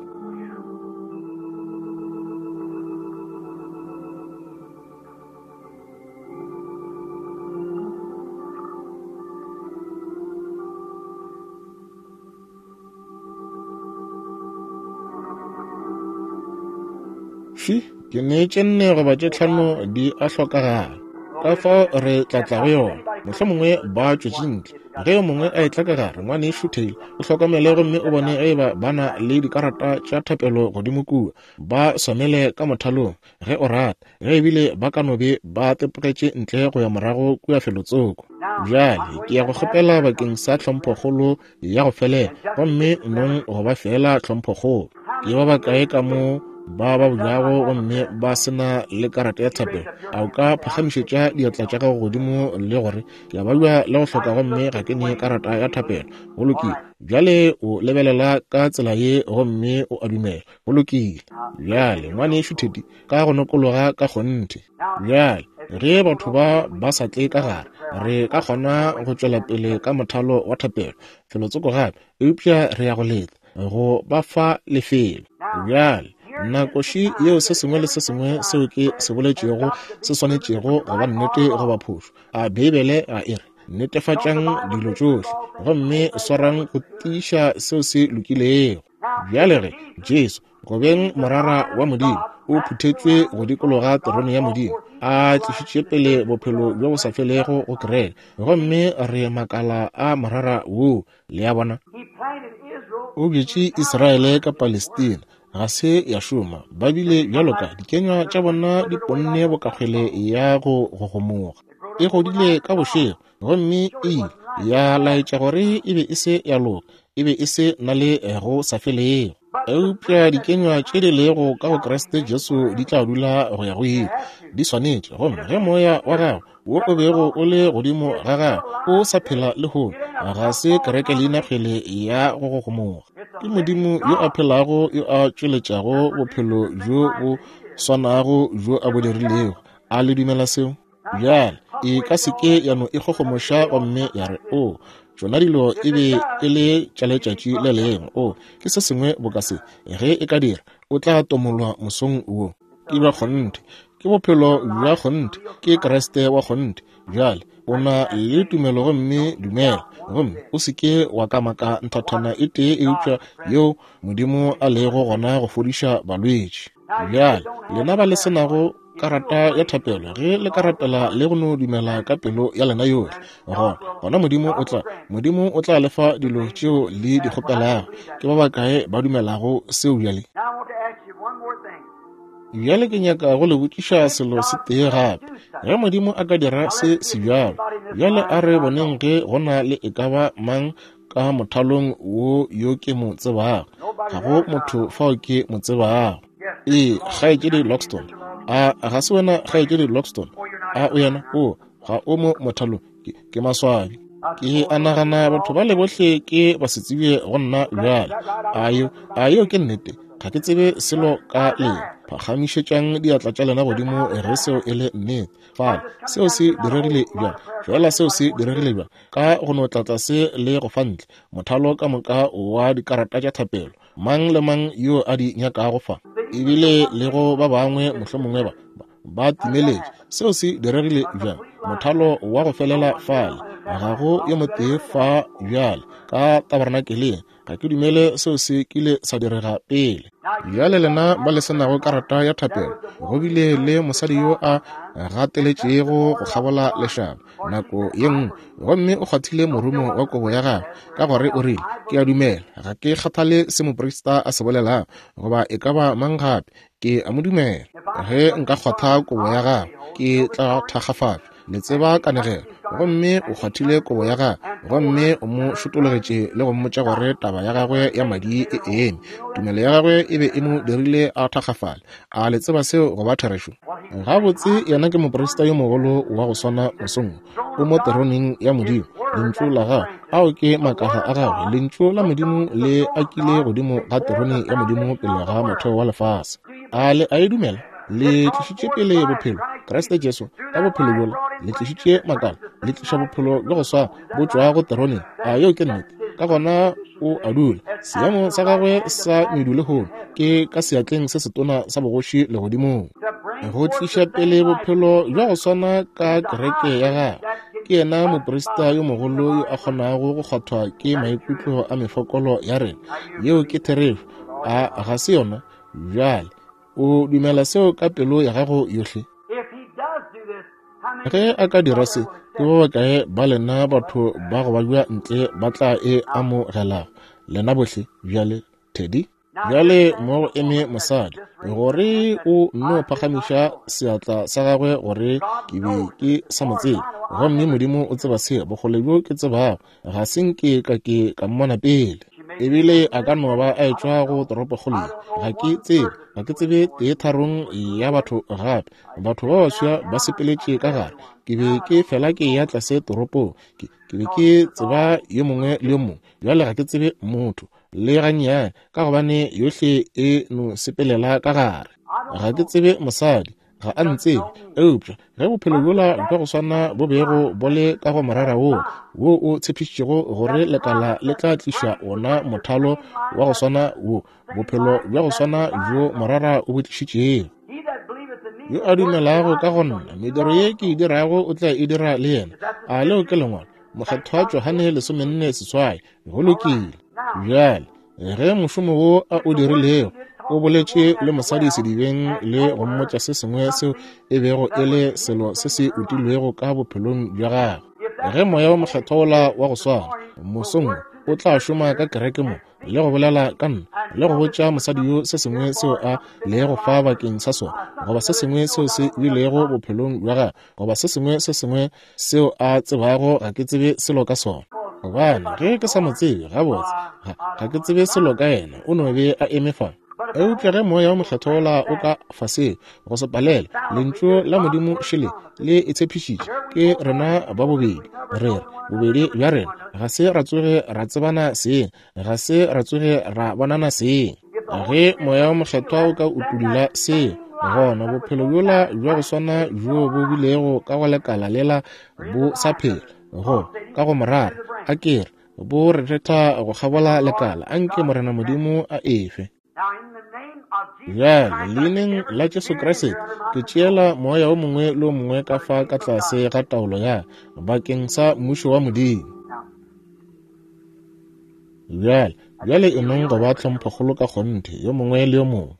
Fi, ke ne tše 4 goba tše 5 di a hlokagala. Ka fao re tla tla go yona. Mohlomongwe ba tšwetše ntle. Ge yo mongwe a etla ka gare, Ngwanešu Taylor, o hlokomele gomme o bone ge eba ba na le dikarata tša thapelo godimo kua. Ba swanele ka mothalong, ge o rata, ge ebile ba ka no be ba tepogetše ntle go ya morago kua felotsoko. Bjale, ke ya go kgopela bakeng sa tlhomphokgolo ya go felela, gomme nong go ba feela tlhomphokgolo. Ke ba bakae ka mo ba ba bjago gomme ba se na le karata ya thapelo? A o ka phagamišetša diatla tša gago godimo le gore, Ke a babja le go hloka gomme ga ke ne karata ya thapelo? Go lokile. Bjale o lebelela ka tsela ye gomme o a dumela. Go lokile. Bjale, Ngwanešu Teddy, ka go nokologa ka kgonthe. Bjale, ge batho ba ba sa tle ka gare, re ka kgona go tšwela pele ka mothalo wa thapelo felotsoko gape, eupša re ya go leta go ba fa lefelo. Bjale, nako še yeo se sengwe le se sengwe seo ke se boletšego se swanetšego go ba nnete goba phošo. A Beibele ga e re, Netefatšang dilo tšohle, gomme swarang go tiiša seo se lokilego? Bjale ge Jesu, go beng morara wa Modimo, o phuthetšwe go dikologa terone ya Modimo, a tlišitše pele bophelo bjo bo sa felego go kereke, gomme re makala a morara woo. Le a bona? O bjetše Israele ka Palestina, ga se ya šoma. Ba bile bjalo ka dikenywa tša bona di ponne bokakgwele ya go gogomoga. E godile ka bošego, gomme e ile ya laetša gore e be e se ya loka, e be e se na le go sa felego. Eupša dikenywa tše di lego ka go Kriste Jesu di tla dula go ya go ile, di swanetše. Gomme ge Moya wa gagwe wo o bego o le godimo ga gagwe o sa phela lehono, ga se kereke leina kgwele ya go gogomoga. Ke Modimo yo a phelago yo a tšweletšago bophelo bjo bo swanago bjo a bo dirilego. A le dumela seo? Bjale, e ka se ke ya no ikgogomoša gomme ya re, O, tšona dilo e be e le tša letšatši le lengwe. O, ke se sengwe boka se. Ge e ka dira, o tla tomolwa mosong wo. Ke bja kgonthe. Ke bophelo bja kgonthe. Ke Kriste wa kgonthe. Bjale, o na le tumelo gomme dumela, gomme o se ke wa kamaka nthathana e tee eupša yeo Modimo a lego gona go fodiša balwetši. Bjale, lena ba le se nago karata ya thapelo, ge le ka rapela le go no dumela ka pelo ya lena yohle, gona, gona Modimo o tla, Modimo o tla le fa dilo tšeo le di kgopelago. Ke ba bakae ba dumelago seo bjale? Bjale ke nyaka go le botšiša selo se tee gape. Ge Modimo a ka dira se sebjalo, bjale a re boneng ge go na le e ka ba mang ka mothalong wo yo ke mo tsebago. Ga go motho fao ke mo tsebago. Ee, Kgaetšedi Loxton. A ga se wena Kgaetšedi Loxton? A o yena? O, ga o mo mothalong. Ke, ke maswabi. Ke a nagana batho bale bohle ke ba se tsebje go nna bjale. A yo, a yeo ke nnete? Ga ke tsebe selo ka lena. Phagamišetšang diatla tša lena godimo ge seo e le nnete. Fale, seo se diregile bjang? Fela seo se diregile bjang? Ka go no tlatla se le go fa ntle mothalo ka moka wa dikarata tša thapelo, mang le mang yo a di nyakago fa, ebile le go ba bangwe mohlomongwe ba ba timeletše. Seo se diregile bjang? Mothalo wa go felela fale, ga go yo motee fa bjale ka tabernakeleng. Ga ke dumele seo se kile sa direga pele. Bjale lena ba le se nago karata ya thapelo, go bile le mosadi yo a gateletšego go kgabola lešaba nako ye nngwe, gomme o kgwathile morumo wa kobo ya gagwe, ka gore o rile, Ke a dumela, ga ke kgathale se moprista a se bolelago, goba e ka ba mang gape, ke a mo dumela. Ge nka kgwatha kobo ya gagwe, ke tla thakgafatšwa. Le tseba kanegelo. Gomme o kgwathile kobo ya gagwe. Gomme o mo šotologetše le go mmotša gore taba ya gagwe ya madi e eme. Tumelo ya gagwe e be e mo dirile a thakgafale. A le tseba seo go ba therešo? Gabotse, yena ke moprista yo mogolo wa go swana mosong wo. O mo teroneng ya Modimo, Lentšu la Gagwe. Ao ke makala a Gagwe. Lentšu la Modimo le akile godimo ga terone ya Modimo pele ga motheo wa lefase. A le a e dumela? Le tlišitše pele bophelo, Kriste Jesu, ka bophelo bjola, le tlišitše makala, le tliša bophelo bja go swana bo tšwa go teroneng. A yeo ke nnete? Ka gona o a dula. Seemo sa gagwe sa medu lehono ke ka seatleng se setona sa bogoši legodimong, go tliša pele bophelo bja go swana ka kereke ya gagwe. Ke yena moprista yo mogolo yo a kgonago go kgwathwa ke maikutlo a mefokolo ya rena. Yeo ke therešo. A ga se yona? Bjale, o dumela seo ka pelo ya gago yohle? Ge a ka dira se, ke ba bakae ba lena batho ba go babja ntle ba tla e amogelago? Lena bohle bjale, Teddy. Bjale mo go eme mosadi, gore o nno phagamiša seatla sa gagwe gore ke be ke sa mo tsebe. Gomme Modimo o tseba se, bokgole bjo ke tsebago, ga se nke ka ke ka mmona pele. Ebile a ka no ba a etšwa go toropokgolo ye. Ga ke tsebe, ga ke tsebe teetharong ya batho gape. Batho ba baswa ba sepeletše ka gare. Ke be ke fela ke ya tlase toropong. Ke, ke be ke tseba yo mongwe le yo mongwe. Bjale ga ke tsebe motho le gannyane, ka gobane yohle e no sepelela ka gare. Ga ke tsebe mosadi, ga a ntsebe. Eupša ge bophelo bjola bja go swana bo bego bo le ka go morara woo, wo o tshepišitšego gore lekala le tla tliša wona mothalo wa go swana wo, bophelo bja go swana bjo morara o bo tlišitšego. Yo a dumelago ka go nna, mediro ye ke e dirago o tla e dira le yena. A leo ke lengwalo? Mokgethwa Johane 48. Go lokile. Bjale, ge mošomo wo a o dirilego, o boletše le mosadi sedibeng le go mmotša se sengwe seo e bego e le selo se se utilwego ka bophelong bja gagwe. Ge Moya wo Mokgethwa wola wa go swana mosong wo o tla šoma ka kereke mo le go bolela ka nna le go botša mosadi yo se sengwe seo a lego fa bakeng sa sona, goba se sengwe seo se bilego bophelong bja gagwe, goba se sengwe se sengwe seo a tsebago ga ke tsebe selo ka sona. Gobane ge ke sa mo tsebe gabotse, ga, ga ke tsebe selo ka yena, o no be a eme fa. Eupša ge Moya wo Mokgethwa wola o ka fa seo, go se palelwe, Lentšu la Modimo šele le e tshepišitše, ke rena ba bobedi, re re, bobedi bja rena ga se ra tsoge ra tsebana seng, ga se ra tsoge ra bonana seng. Ge Moya wo Mokgethwa o ka utulla seo, gona bophelo bjola bja go swana bjo bo bilego ka go lekala lela bo sa phela, go ka go morara, a ke re, bo re retha go kgabola lekala. A nke Morena Modimo a efe. Bjale, Leineng la Jesu Kriste, ke tšeela moya o mongwe le o mongwe ka fa ka tlase ga taolo ya bakeng sa Mmušo wa Modimo. Bjale, bjale e nong go ba tlhomphokgolo ka kgonthe, yo mongwe le yo mongwe.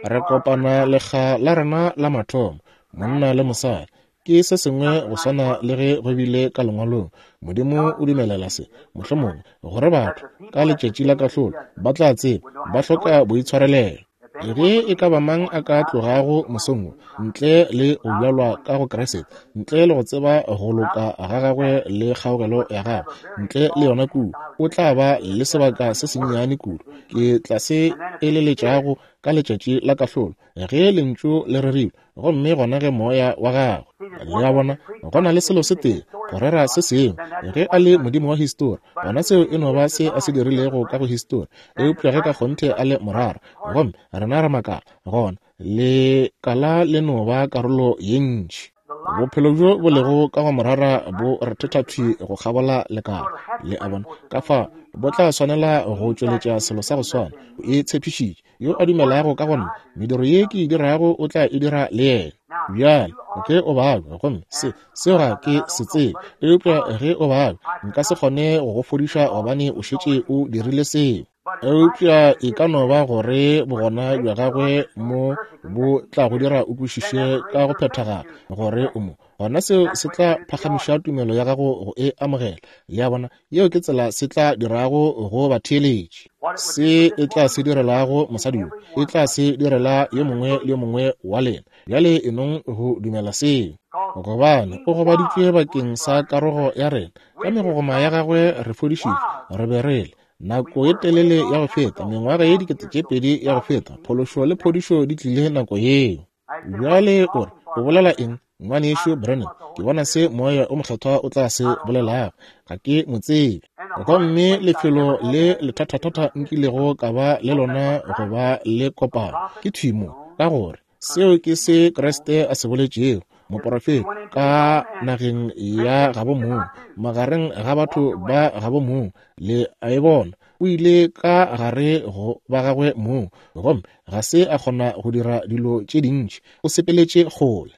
Re kopana lekga la rena la mathomo, monna le mosadi. Ke se sengwe go swana le ge go bile ka Lengwalong. Modimo o dumelela se, mohlomongwe, gore batho, ka letšatši la kahlolo, ba tla tseba ba hloka boitshwarelelo. Ge e ka ba mang a ka tlogago mosong wo, ntle le go bjalwa ka go Kriste, ntle le go tseba go loka ga gagwe le kgaogelo ya gagwe, ntle le yona kudu, o tla ba le sebaka se sennyane kudu. Ke tla se eleletšago ka letšatši la kahlolo, ge Lentšu le rerilwe, gomme gona ge Moya wa gagwe. Le a bona, go na le selo se tee, go rera se sengwe. Ge a le Modimo wa histori, gona seo e no ba se a se dirilego ka go histori. Eupša ge ka kgonthe a le morara, gomme rena re makala, gona lekala le no ba karolo ye ntši. Bophelo bjo bo lego ka go morara bo rethetha thwi go kgabola lekala. Le a bona? Ka fao bo tla swanela go tšweletša selo sa go swana. E tshepišitše. Yo a dumelago ka go nna, mediro ye ke e dirago o tla e dira le yena. Bjale, ge o babja, gomme se, seo ga ke se tsebe, eupša ge o babja, nka se kgone go go fodiša gobane o šetše o dirile seo. Eupša e ka no ba gore bogona bja gagwe mo bo tla go dira o kwešiše ka go phethagala gore o mo. Gona seo se tla phagamiša tumelo ya gago go e amogela. Le a bona? Yeo ke tsela se tla dirago go batheeletši. Se e tla se direlago mosadi yo, e tla se direla yo mongwe le yo mongwe wa lena. Bjale e nong go dumela seo. Gobane o gobaditšwe bakeng sa karogo ya rena, ka megogoma ya gagwe re fodišitšwe. Re be re le nako ye telele ya go feta, mengwaga ye 2000 ya go feta, phološo le phodišo di tlile nako yeo. Bjale o re, O bolela eng, Ngwanešu Branham? Ke bona se Moya o Mokgethwa o tla se bolelago. Ga ke mo tsebe. Gomme lefelo le lethathathatha nkilego ka ba le lona go ba le kopano ke thwi mo, ka gore seo ke se Kriste a se boletšego, moporofeta ka nageng ya gabo mong, magareng ga batho ba gabo mong. Le a e bona? O ile ka gare go ba gagwe mong, gomme ga se a kgona go dira dilo tše dintši. O sepeletše kgole.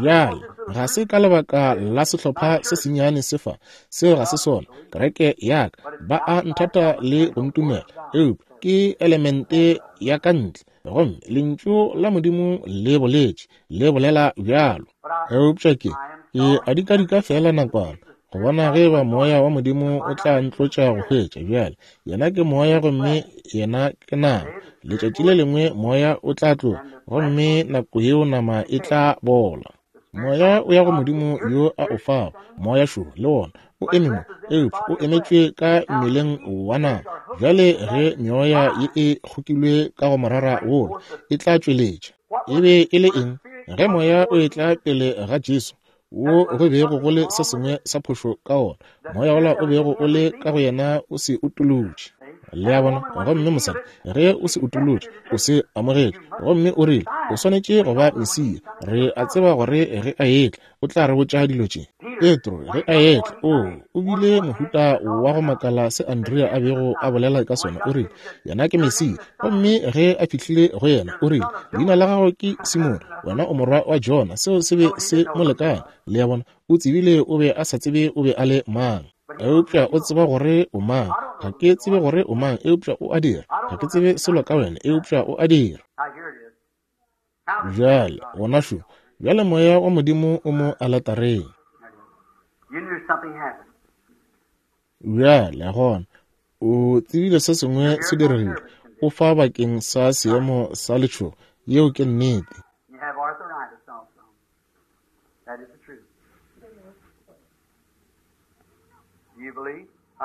Bjale, ga se ka lebaka la sehlopha se sennyane se fa, seo ga se sona, kereke ya ka, ba a nthata le go ntumela, eupša ke elemente ya ka ntle, gomme Lentšu la Modimo le boletše, le bolela bjalo. Eupša ke, ke a dikadika feela nakwana, go bona ge eba Moya wa Modimo o tla ntlotša go hwetša. Bjale, Yena ke Moya gomme Yena ke nama. Letšatši le lengwe Moya o tla tloga, gomme nako yeo nama e tla bola. Moya o ya go Modimo yo a o fago. Moya šo le wona o eme mo, eupša o emetšwe ka mmeleng wa nama. Bjale ge meoya ye e kgokilwe ka go morara wola, e tla tšweletša. E be e le eng? Ge Moya o etla pele ga Jesu, wo go bego go le se sengwe sa phošo ka wona, moya wola o bego o le ka go yena o se utolotše. Le a bona? Gomme mosadi, ge o se utolotše, o se amogetše, gomme o rile, O swanetše go ba Mesia. Re a tseba gore ge a etla, o tla re botša dilo tše. Petro, ge a etla, oo, o bile mohuta wa go makala se Andrea a bego a bolela ka sona. O rile, Yena ke Mesia. Gomme ge a fihlile go yena, o rile, Leina la gago ke Simone, wena o morwa wa Jona. Seo se be se mo lekane. Le a bona? O tsebile o be a sa tsebe o be a le mang. Eupša o tseba gore o mang. Ga ke tsebe gore o mang, eupša o a dira. Ga ke tsebe selo ka wena, eupša o a dira. Bjale, gona šo. Bjale Moya wa Modimo o mo aletareng. Bjale, gona, o tsebile se sengwe se diregile. O fa bakeng sa seemo sa letšhogo. Yeo ke nnete.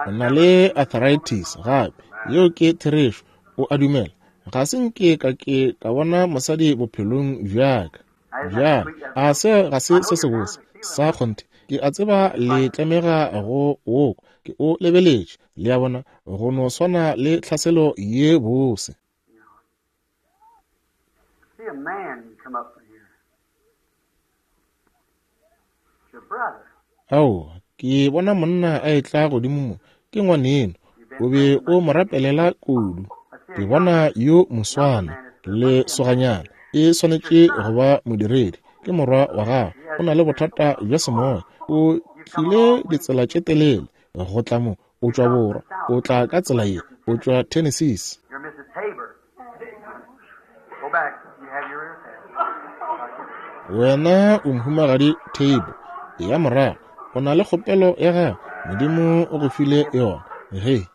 O na le arthritis gape. Yeo ke therešo. O a dumela. Ga se nke ka ke ka bona mosadi bophelong bja ka. Bjale, a se ga se se sebotse sa kgonthe? Ke a tseba le tlemega go o kwa. Ke o lebeletše, le a bona, go no swana le tlhaselo ye bose. Aowa, ke bona monna a etla godimo mo, ke ngwaneno. O be o mo rapelela kudu. Ke bona yo moswana le soganyana. E swanetše go ba modiredi. Ke morwa wa gago. O na le bothata bja semoya. O tlile ditsela tše telele go tla mo. O tšwa borwa. O tla ka tsela ye. O tšwa Tennessee. Wena o Mohumagadi Table. Eya morago. O na le kgopelo ya gago. Modimo o go file yona. Ge.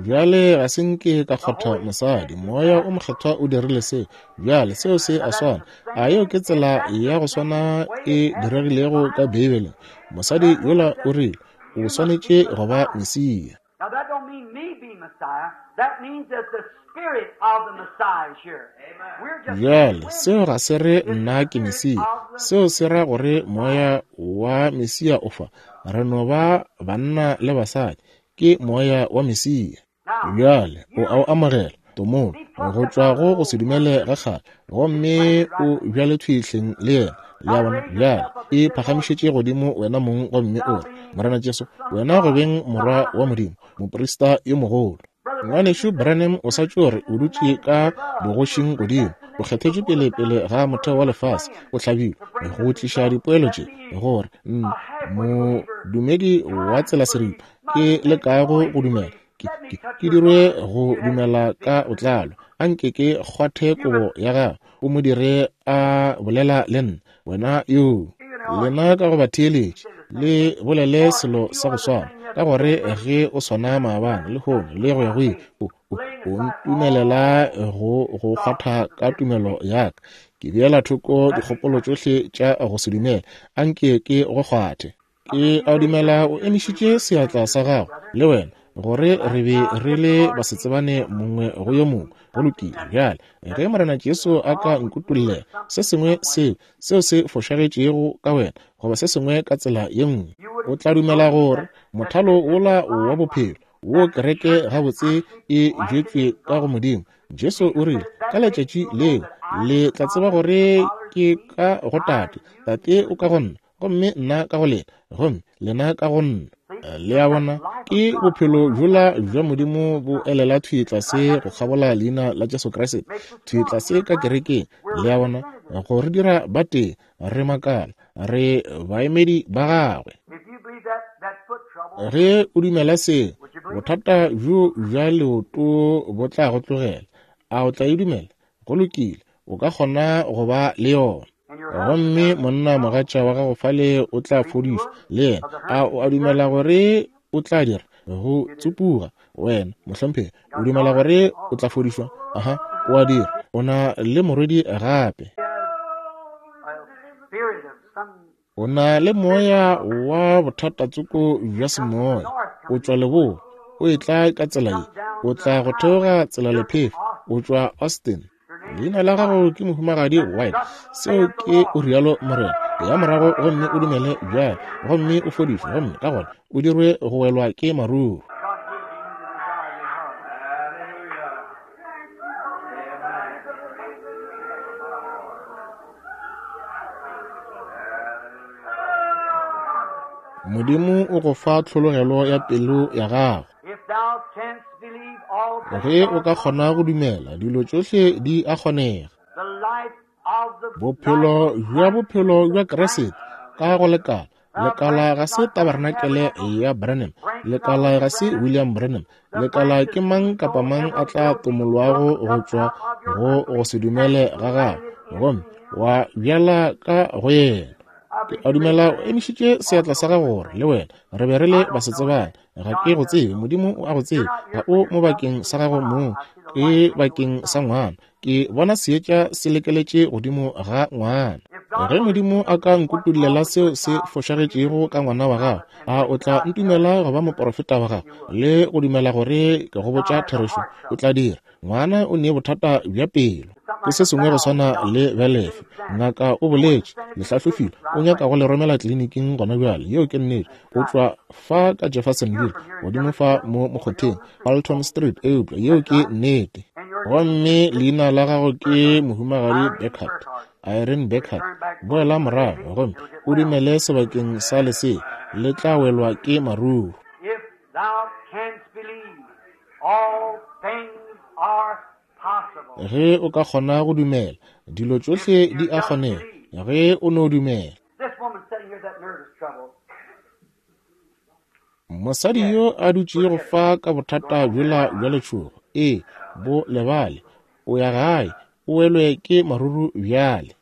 Bjale ga se nke ka kgotha mosadi. Moya o Mokgethwa o dirile seo. Bjale seo se a swana. A yeo ke tsela ya go swana e diregilego ka Beibeleng? Mosadi yola o rile, O swanetše go ba Mesia. Now that don't mean me be Messiah. That means that the spirit of the Messiah is here. We're just Bjale, seo ga se re nna ke Mesia. Seo se ra gore moya wa Mesia o fa. Re no ba banna le basadi. Ke moya wa Mesia. Bjale, o a o amogela, tomolo, go tšwa go go se dumele ga kgale, gomme o bjale thwi hleng le yena. Le a bona? Bjale, e phagamišetše godimo wena mong gomme o re, Morena Jesu, wena go beng Morwa wa Modimo, moprista yo mogolo. Ngwanešu Branham o sa tšo re o dutše ka bogošing godimo, o kgethetšwe pele pele ga motheo wa lefase, o hlabilwe go tliša dipoelo tše, gore modumedi wa tsela seripa ke lekago go dumela, ke, ke, ke dirwe go dumela ka botlalo. A nke ke kgwathe kobo ya gago, o mo dire a bolela le nna. Wena yoo, lena ka go batheeletši, le bolele selo sa go swana, ka gore ge o swana maabane, lehono, le go ya go ile, o ntumelela go go kgwatha ka tumelo ya ka. Ke beela thoko dikgopolo tšohle tša go se dumele, a nke ke go kgwathe. Ke a dumela o emišitše seatla sa gago, le wena, gore re be re le basetsebane mongwe go yo mongwe. Go lokile. Bjale, ge Morena Jesu a ka nkutollela se sengwe seo, seo se fošagetšego ka wena, goba se sengwe ka tsela ye nngwe, o tla dumela gore mothalo wola wa bophelo wo kereke gabotse e jwetšwe ka go Modimo. Jesu o rile, ka letšatši leo le tla tseba gore ke ka go Tate, Tate o ka go nna, gomme nna ka go lena, gomme lena ka go nna. Le a bona, ke bophelo bjola bja Modimo bo elela thwi tlase go kgabola leina la Jesu Kriste, thwi tlase ka kerekeng. Le a bona, go re dira batee, re makala, re baemedi ba gagwe. Ge o dumela se, bothata bjo bja leoto bo tla go tlogela. A o tla e dumela? Go lokile, o ka kgona go ba le yona. Gomme monna mogatša wa gago fale o tla fodišwa le yena. A o a dumela gore o tla dira go tsupuga? Wena mohlomphegi, o dumela gore o tla fodišwa? Aha, o a dira. O na le morwedi gape. O na le moya wa bothatatsoko bja semoya. O tšwa leboa, o etla ka tsela ye, o tla go theoga tsela lephefo, o tšwa Austin. Leina la gago ke Mohumagadi White. Seo ke o rialo Morena. Ya morago gomme o dumele bjale, gomme o fodišwe, gomme ka gona o dirwe go welwa ke maruru. Modimo o go fa tlhologelo ya pelo ya gago. Ge o ka kgona go dumela, dilo tšohle di a kgonega. Bophelo bja bophelo bja Kriste ka go lekala. Lekala ga se tabernacle ya Branham, lekala ga se William Branham, lekala ke mang kapa mang a tla tomolwago go tšwa go go se dumele ga gagwe gomme wa bjala ka go yena. Ke a dumela o emišitše seatla sa gago gore le wena re be re le basetsebane. Ga ke go tsebe, Modimo o a go tseba. Ga o mo bakeng sa gago mong, ke bakeng sa ngwana. Ke bona seetša se lekeletše godimo ga ngwana. Ge Modimo a ka nkutollela seo se fošagetšego ka ngwana wa gago, a o tla ntumela go ba moporofeta wa gago le go dumela gore ke go botša therešo? O tla dira. Ngwana o ne bothata bja pelo. Ke se sengwe go swana le belefe. Ngaka o boletše, le hlahlofile, o nyaka go le romela tleliniking gona bjale. Yeo ke nnete. O tšwa fa ka Jeffersonville, godimo fa mo mokgotheng, Fulton Street, eupša yeo ke nnete. Gomme leina la gago ke Mohumagadi Beckert, Irene Beckert. Boela morago gomme o dumele sebakeng sa lesea, le tla welwa ke maruru. Ge o ka kgona go dumela, dilo tšohle di a kgonega. Ge o no dumela. Mosadi yo a dutšego fa ka bothata bjola bja letšhogo, ee, bo lebale, o ya gae, o welwe ke maruru bjale.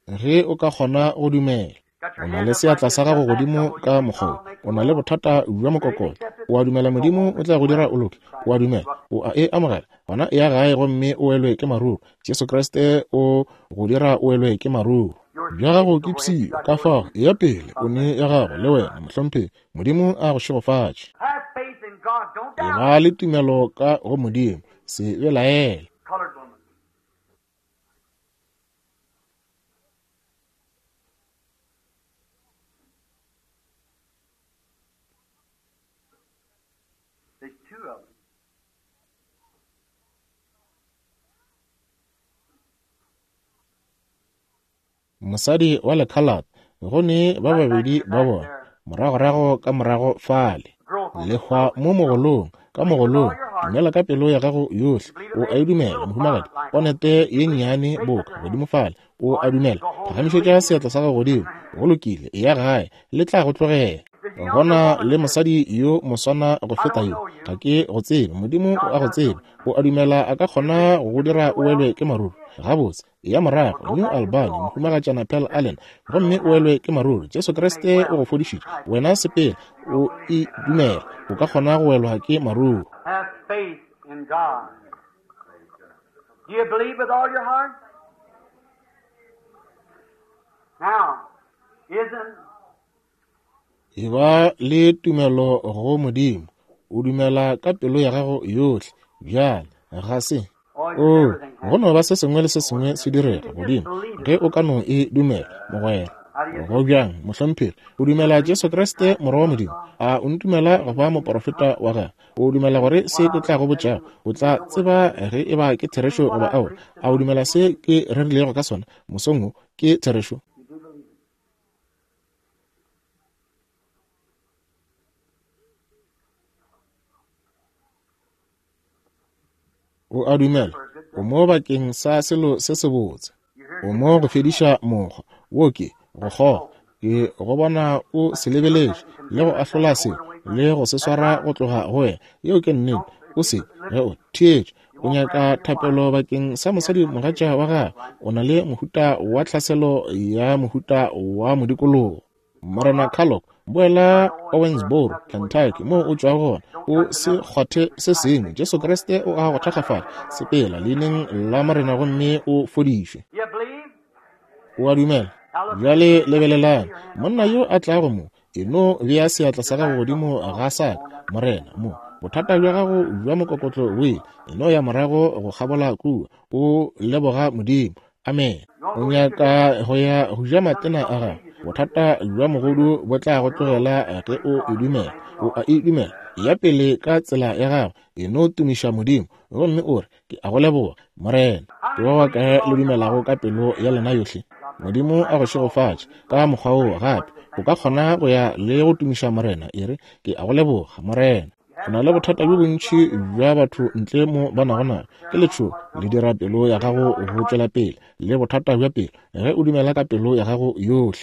Ge o ka kgona go dumela. O na le seatla sa gago godimo ka mokgwa wo. O na le bothata bja mokokotlo. O a dumela Modimo o tla go dira o loke? O a dumela? O a e amogela? Gona eya gae gomme o welwe ke maruru. Jesu Kriste o go dira o welwe ke maruru. Bja gago ke pshio, ka fao eya pele o ne ya gago le wena, mohlomphegi. Modimo a go šegofatše. Eba le tumelo ka go Modimo, se belaele. There's two of them. Mosadi wa lekhalate, go ne ba babedi ba bona, moragorago ka morago fale. Lehwa mo mogolong, ka mogolong, dumela ka pelo ya gago yohle. O a e dumela, mohumagadi? Ponete ye nnyane boka godimo fale. O a dumela? Phagamišetša seatla sa gago godimo. Go lokile, eya gae, le tla go tlogela. Go na le mosadi yo moswana go feta yo. Ga ke go tsebe. Modimo o a go tseba. O a dumela a ka kgona go go dira o welwe ke maruru? Gabotse, eya morago New Albany, Mohumagatšana Pearl Allen, gomme o welwe ke maruru. Jesu Kriste o go fodišitše. Wena sepela, o e dumela. O ka kgona go welwa ke maruru. Have faith in God. Do you believe with all your heart? Now, isn't Eba le tumelo go Modimo. O dumela ka pelo ya gago yohle. Bjale, ga se. O, go no ba se sengwe le se sengwe se direga, Modimo, ge o ka no e dumela, mogwera. Go bjang, mohlomphegi? O dumela Jesu Kriste, Morwa wa Modimo? A o ntumela go ba moporofeta wa Gagwe? O dumela gore se ke tla go botšago, o tla tseba ge e ba ke therešo goba aowa? A o dumela se ke rerilego ka sona mosong wo ke therešo? O a dumela? O mo bakeng sa selo se sebotse. O mo go fediša mokgwa wo ke go kgoga. Ke go bona o se lebeletše le go ahlola se le go se swara go tloga go wena. Yeo ke nnete. O se ge o theetša. O nyaka thapelo bakeng sa mosadi mogatša wa gagwe. O na le mohuta wa tlhaselo ya mohuta wa modikologo. Morena Carlock, boela Owensboro, Kentucky, moo o tšwago gona. O se kgwathe se sengwe. Jesu Kriste o a go thakgafala. Sepela leineng la Morena gomme o fodišwe. O a dumela? Bjale lebelelang. Monna yo a tlago mo, e no bea seatla sa gago godimo ga sa ka, Morena, mo. Bothata bja gago bja mokokotlo bo ile. E no ya morago go kgabola kua, o leboga Modimo. Amene. O nyaka go ya go ja matena a gago. Bothata bja mogodu bo tla go tlogela ge o e dumela. O a e dumela. Ya pele ka tsela ya gago, e no tumiša Modimo gomme o re, Ke a go leboga, Morena. Ke ba bakae le dumelago ka pelo ya lena yohle? Modimo a go šegofatše ka mokgwa woo gape. O ka kgona go ya le go tumiša Morena, e re, Ke a go leboga, Morena. Go na le bothata bjo bontši bja batho ntle mo ba nago nago. Ke letšhogo, le dira pelo ya gago go tšwela pele, le bothata bja pelo, ge o dumela ka pelo ya gago yohle.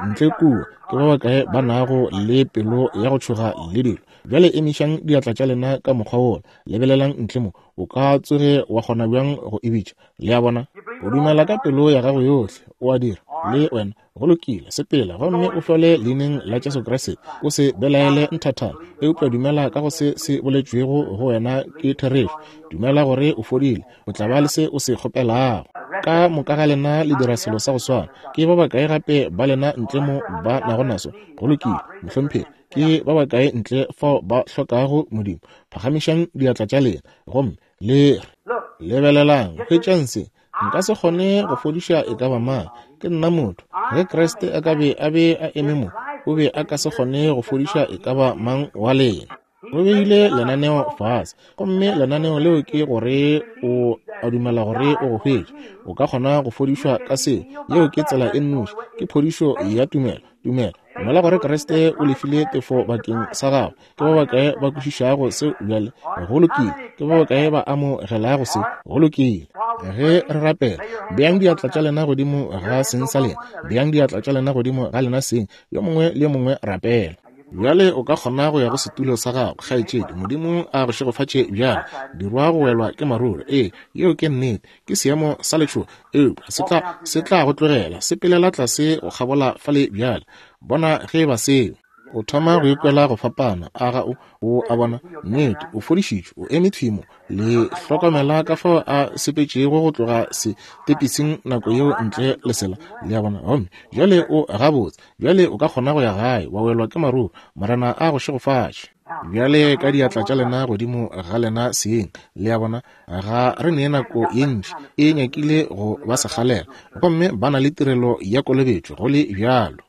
Ntle kua, ke ba bakae ba nago le pelo ya go tšhoga le dilo? Bjale emišang diatla tša lena ka mokgwa wola, lebelelang ntle mo. O ka tsoge wa kgona bjang go e bitša? Le a bona? O dumela ka pelo ya gago yohle, o a dira, le wena. Go lokile, sepela gomme o hlole leineng la Jesu Kriste. O se belaele nthathana, eupša dumela ka go se se boletšwego go wena ke therešo. Dumela gore o fodile, o tla ba le se o se kgopelago. Ka moka ga lena le dira selo sa go swana. Ke ba bakae gape ba lena ntle mo ba nago naso? Go lokile, mohlomphegi. Ke ba bakae ntle fao ba hlokago Modimo? Phagamišang diatla tša lena gomme le re, Lebelelang, hwetšang se. Nka se kgone go fodiša e ka ba mang. Ke nna motho. Ge Kriste a ka be a be a eme mo, o be a ka se kgone go fodiša e ka ba mang wa lena. O beile lenaneo fase, gomme lenaneo leo ke gore o a dumela gore o go hwetše. O ka kgona go fodišwa ka seo. Yeo ke tsela e nnoši. Ke phodišo ya tumelo. Tumelo. Dumela gore Kriste o lefile tefo bakeng sa gago. Ke ba bakae ba kwešišago seo bjale? Go lokile. Ke ba bakae ba amogelago se? Go lokile. Ge re rapela, beang diatla tša lena godimo ga seng sa lena. Beang diatla tša lena godimo ga lena seng. Yo mongwe le yo mongwe rapela. Bjale o ka kgona go ya go setulo sa gago, kgaetšedi. Modimo a go šegofatše bjale. Dirwa go welwa ke maruru. Ee, yeo ke nnete. Ke seemo sa letšhogo, eupša se tla, se tla go tlogela. Sepelela tlase go kgabola fale bjale. Bona ge e ba seo. O thoma go ikwela go fapana, a ga o? O a bona? Nnete, o fodišitšwe, o eme thwi mo. Le hlokomela ka fao a sepetšego go tloga setepising nako yeo ntle le sela. Le a bona? Gomme bjale o gabotse. Bjale o ka kgona go ya gae, wa welwa ke maruru. Morena a go šegofatše. Bjale ka diatla tša lena godimo ga lena seng. Le a bona? Ga re ne nako ye ntši, e nyakile go ba sekgalela. Gomme ba na le tirelo ya kolobetšo, go le bjalo.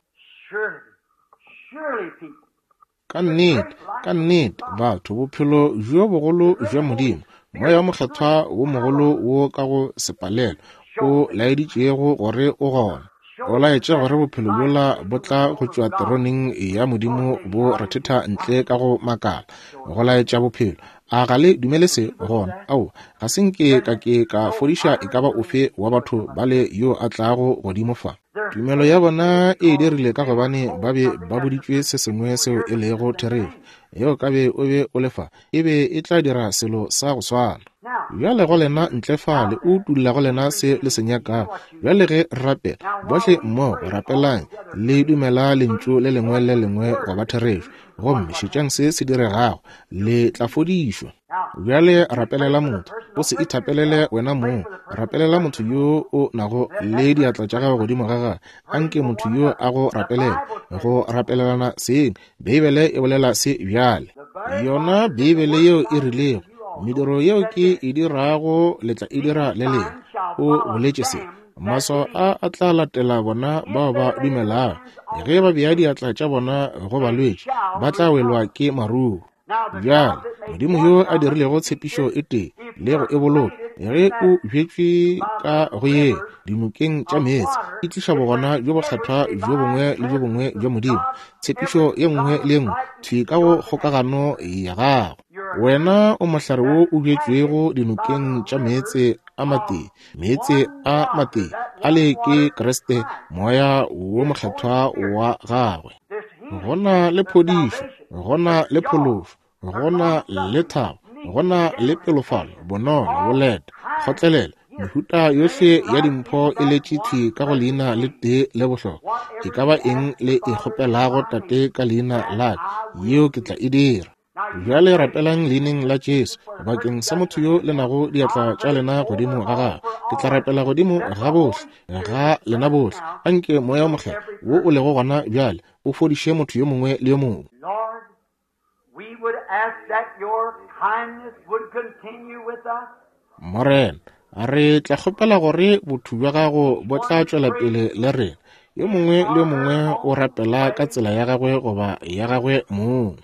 Ka nnete, ka nnete, batho, bophelo bjo bogolo bja Modimo, Moya wo Mokgethwa wo mogolo wo ka go se palelwe o laeditšego gore o gona, o laetše gore bophelo bjola bo tla go tšwa teroneng ya Modimo bo rethetha ntle ka go makala, go laetša bophelo. A ga le dumele se gona? Aowa, ga se nke ka ke ka fodiša e ka ba ofe wa batho bale yo a tlago godimo fa. Tumelo ya bona e e dirile ka gobane ba be ba boditšwe se sengwe seo e lego therešo. Ge o ka be o be o le fa, e be e tla dira selo sa go swana. Bjale go lena ntle fale, o utolla go lena se le se nyakago. Bjale ge re rapela, bohle mmogo rapelang, le dumela Lentšu le lengwe le lengwe go ba therešo, gomme šetšang se se diregago, le tla fodišwa. Bjale rapelela motho, o se ithapelele wena mong, rapelela motho yo o nago le diatla tša gago godimo ga gagwe. Anke motho yo a go rapelele, go rapelelana seng. Beibele e bolela se bjale. Yona Beibele yeo e rilego, mediro yeo ke e dirago le tla e dira le lena. O boletše se. Maswao a a tla latela bona bao ba dumelago. Ge ba bea diatla tša bona go balwetši, ba tla welwa ke maruo. Bjale, Modimo yo a dirilego tshepišo e tee le go e boloka, ge o bjetšwe ka go ye dinokeng tša meetse, e tliša bogona bjo bokgethwa bjo bongwe le bjo bongwe bja Modimo, tshepišo ye nngwe le ye nngwe thwi ka go kgokagano ya gago. Wena o mohlare wo o bjetšwego dinokeng tša meetse a matee, meetse a matee ale ke Kriste, Moya wo Mokgethwa wa gagwe. Go na le phodišo, go na le phološo, go na le thabo, go na le pelofalo, bonolo, boleta, kgotlelelo, mehuta yohle ya dimpho e letše thwi ka go leina le tee le bohlokwa. E ka ba eng le e kgopelago Tate ka leina la ka, yeo ke tla e dira. Bjale rapelang leineng la Jesu bakeng sa motho yo le nago diatla tša lena godimo ga gagwe. Ke tla rapela godimo ga bohle, ga lena bohle. Anke Moya wo Mokgethwa wo o lego gona bjale o fodiše motho yo mongwe le yo mongwe. Morena, re tla kgopela gore botho bja gago bo tla tšwela pele le rena. Yo mongwe le yo mongwe o rapela ka tsela ya gagwe goba ya gagwe mong.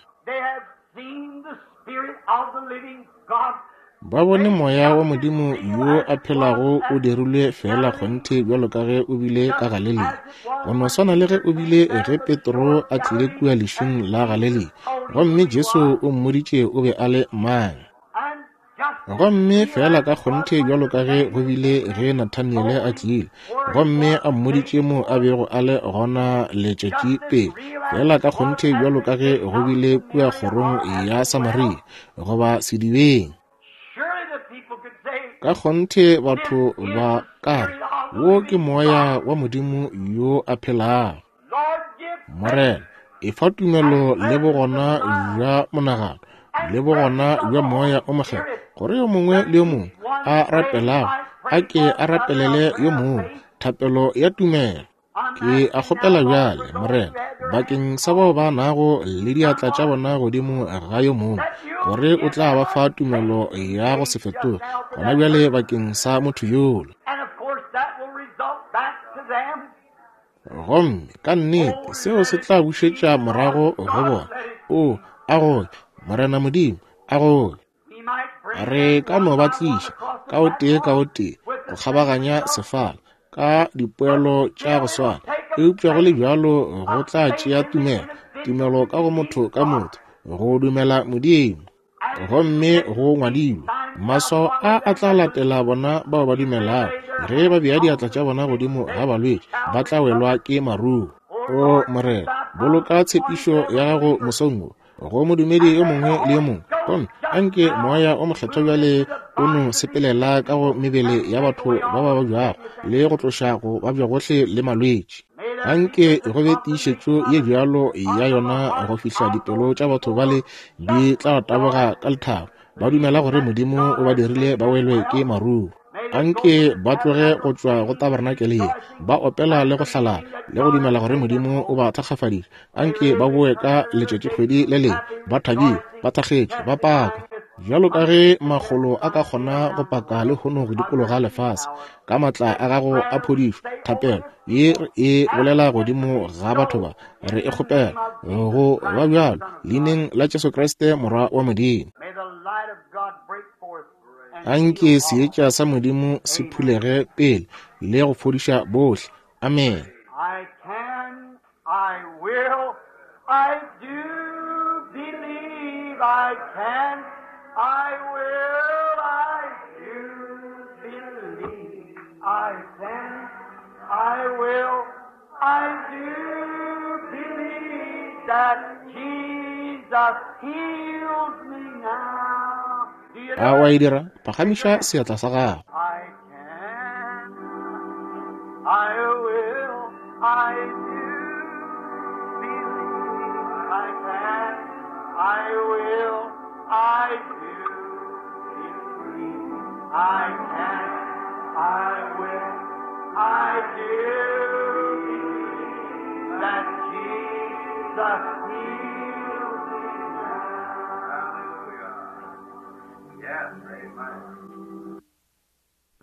Ba bone Moya wa Modimo yo a phelago o dirilwe feela kgonthe bjalo ka ge o bile ka Galelia, go no swana le ge o bile ge Petro a tlile kua lešung la Galelia, gomme Jesu o mmoditše o be a le mang. Gomme feela ka kgonthe bjalo ka ge go bile ge Nathaniele a tlile, gomme a mmoditše mo a bego a le gona letšatši pele, feela ka kgonthe bjalo ka ge go bile kua kgorong ya Samaria, goba sedibeng. Ka kgonthe batho ba ka re, Wo ke Moya wa Modimo yo a phelago. Morena, efa tumelo le bogona bja monagano le bogona bja Moya o Mokgethwa, gore yo mongwe le yo mongwe a rapelago a ke a rapelele yo mongwe thapelo ya tumelo. Ke a kgopela bjale, Morena, bakeng sa bao ba nago le diatla tša bona godimo ga yo mongwe, gore o tla ba fa tumelo ya go se fetoge gona bjale bakeng sa motho yola. Gomme ka nnete seo se tla bušetša morago go bona. O, a goe, Morena Modimo, a goe. Re ka no ba tliša ka o tee ka o tee go kgabaganya sefala ka dipoelo tša go swana, eupša go le bjalo go tla tšea tumelo, tumelo ka go motho ka motho, go dumela Modimo. Gomme go ngwadilwe, Maswao a a tla latela bona bao ba dumelago. Ge ba bea diatla tša bona godimo ga balwetši, ba tla welwa ke maruo. O Morena, boloka tshepišo ya gago mosong wo go modumedi yo mongwe le yo mongwe, gomme anke Moya o Mokgethwa bjale o no sepelela ka go mebele ya batho ba ba babjago le go tloša go babja gohle le malwetši. Anke go be tiišetšo ye bjalo ya yona go fihla dipelo tša batho bale di tla taboga ka lethabo, ba dumela gore Modimo o ba dirile ba welwe ke maruo. Anke ba tloge go tšwa go tabarenakele ye, ba opela le go hlalala le go dumela gore Modimo o ba thakgafaditše. Anke ba boe ka letšatšikgwedi le lengwe ba thabile, ba thakgetše, ba paka. Bjalo ka ge makgolo a ka kgona go paka lehono go dikologa lefase, ka matla a gago a phodišo, thapelo ye re e bolela godimo ga batho ba, re e kgopela go ba bjalo, leineng la Jesu Kriste Morwa wa Modimo. Anke seetša sa Modimo se phulege pele le go fodiša bohle. Amene. I can, I will, I do believe I can. I will, I do believe I can, I will, I do believe that Jesus heals me now. Do you A know wa it? e dira? Phagamiša seatla sa gago. I can, I will, I do believe I can, I will, I do believe I can, I will, I do believe that Jesus heals me now. Yes, amen.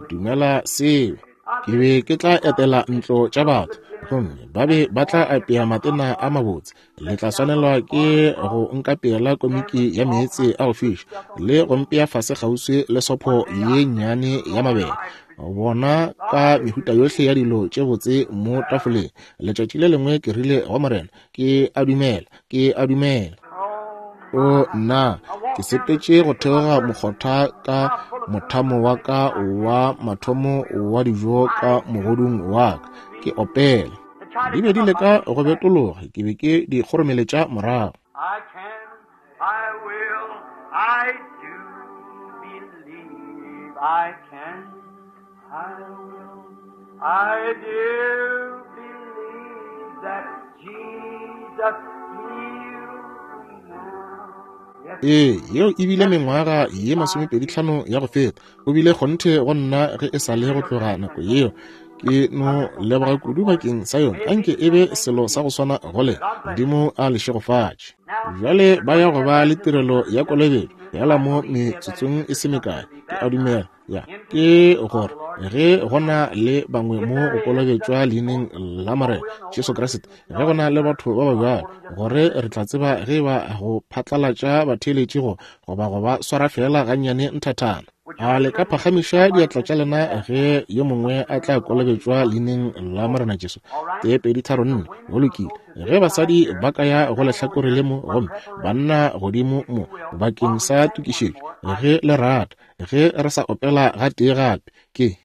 Dumela seo. Ke be ke tla etela ntlo tša batho, gomme ba be ba tla apea matena a mabotse. Le tla swanelwa ke go nkapeela komiki ya meetse a go fiša le go mpea fase kgauswi le sopho ye nnyane ya mabele. Bona ka mehuta yohle ya dilo tše botse mo tafoleng. Letšatši le lengwe ke rile go Morena, ke a dumela, ke a dumela. Oh O nna, ke sepetše go theoga mokgotha ka mothamo wa ka wa mathomo wa dijo ka mogodung wa ka, ke opela. To try to Di be come di up, leka I go betologa, ke be ke di kgoromeletša morago. I can, I will, I do believe I can, I will, I do believe that Jesus heals me now. Yes, Ee, yeo e bile mengwaga ye 25 ya go feta. O bile kgonthe go nna ge e sa le go tloga nako yeo. Ke no leboga kudu bakeng sa yona. Anke e be selo sa go swana go lena. Modimo a le šegofatše. Bjale ba ya go ba le tirelo ya kolobetšo yala mo metsotsong e se mekae. Ke a dumela ya ke gore ge go na le bangwe mo go kolobetšwa leineng la Morena Jesu Kriste, ge go na le batho ba ba bjalo, gore re tla tseba ge ba go phatlalatša batheeletši go goba go ba swara fela gannyane nthathana. A le ka phagamiša diatla tša lena ge yo mongwe a tla kolobetšwa leineng la Morena Jesu? 1, 2, 3, 4. Go lokile. Ge basadi ba ka ya go lehlakore le mo gomme banna godimo mo bakeng sa tokišetšo, ge le rata, ge re sa opela gatee gape, ke.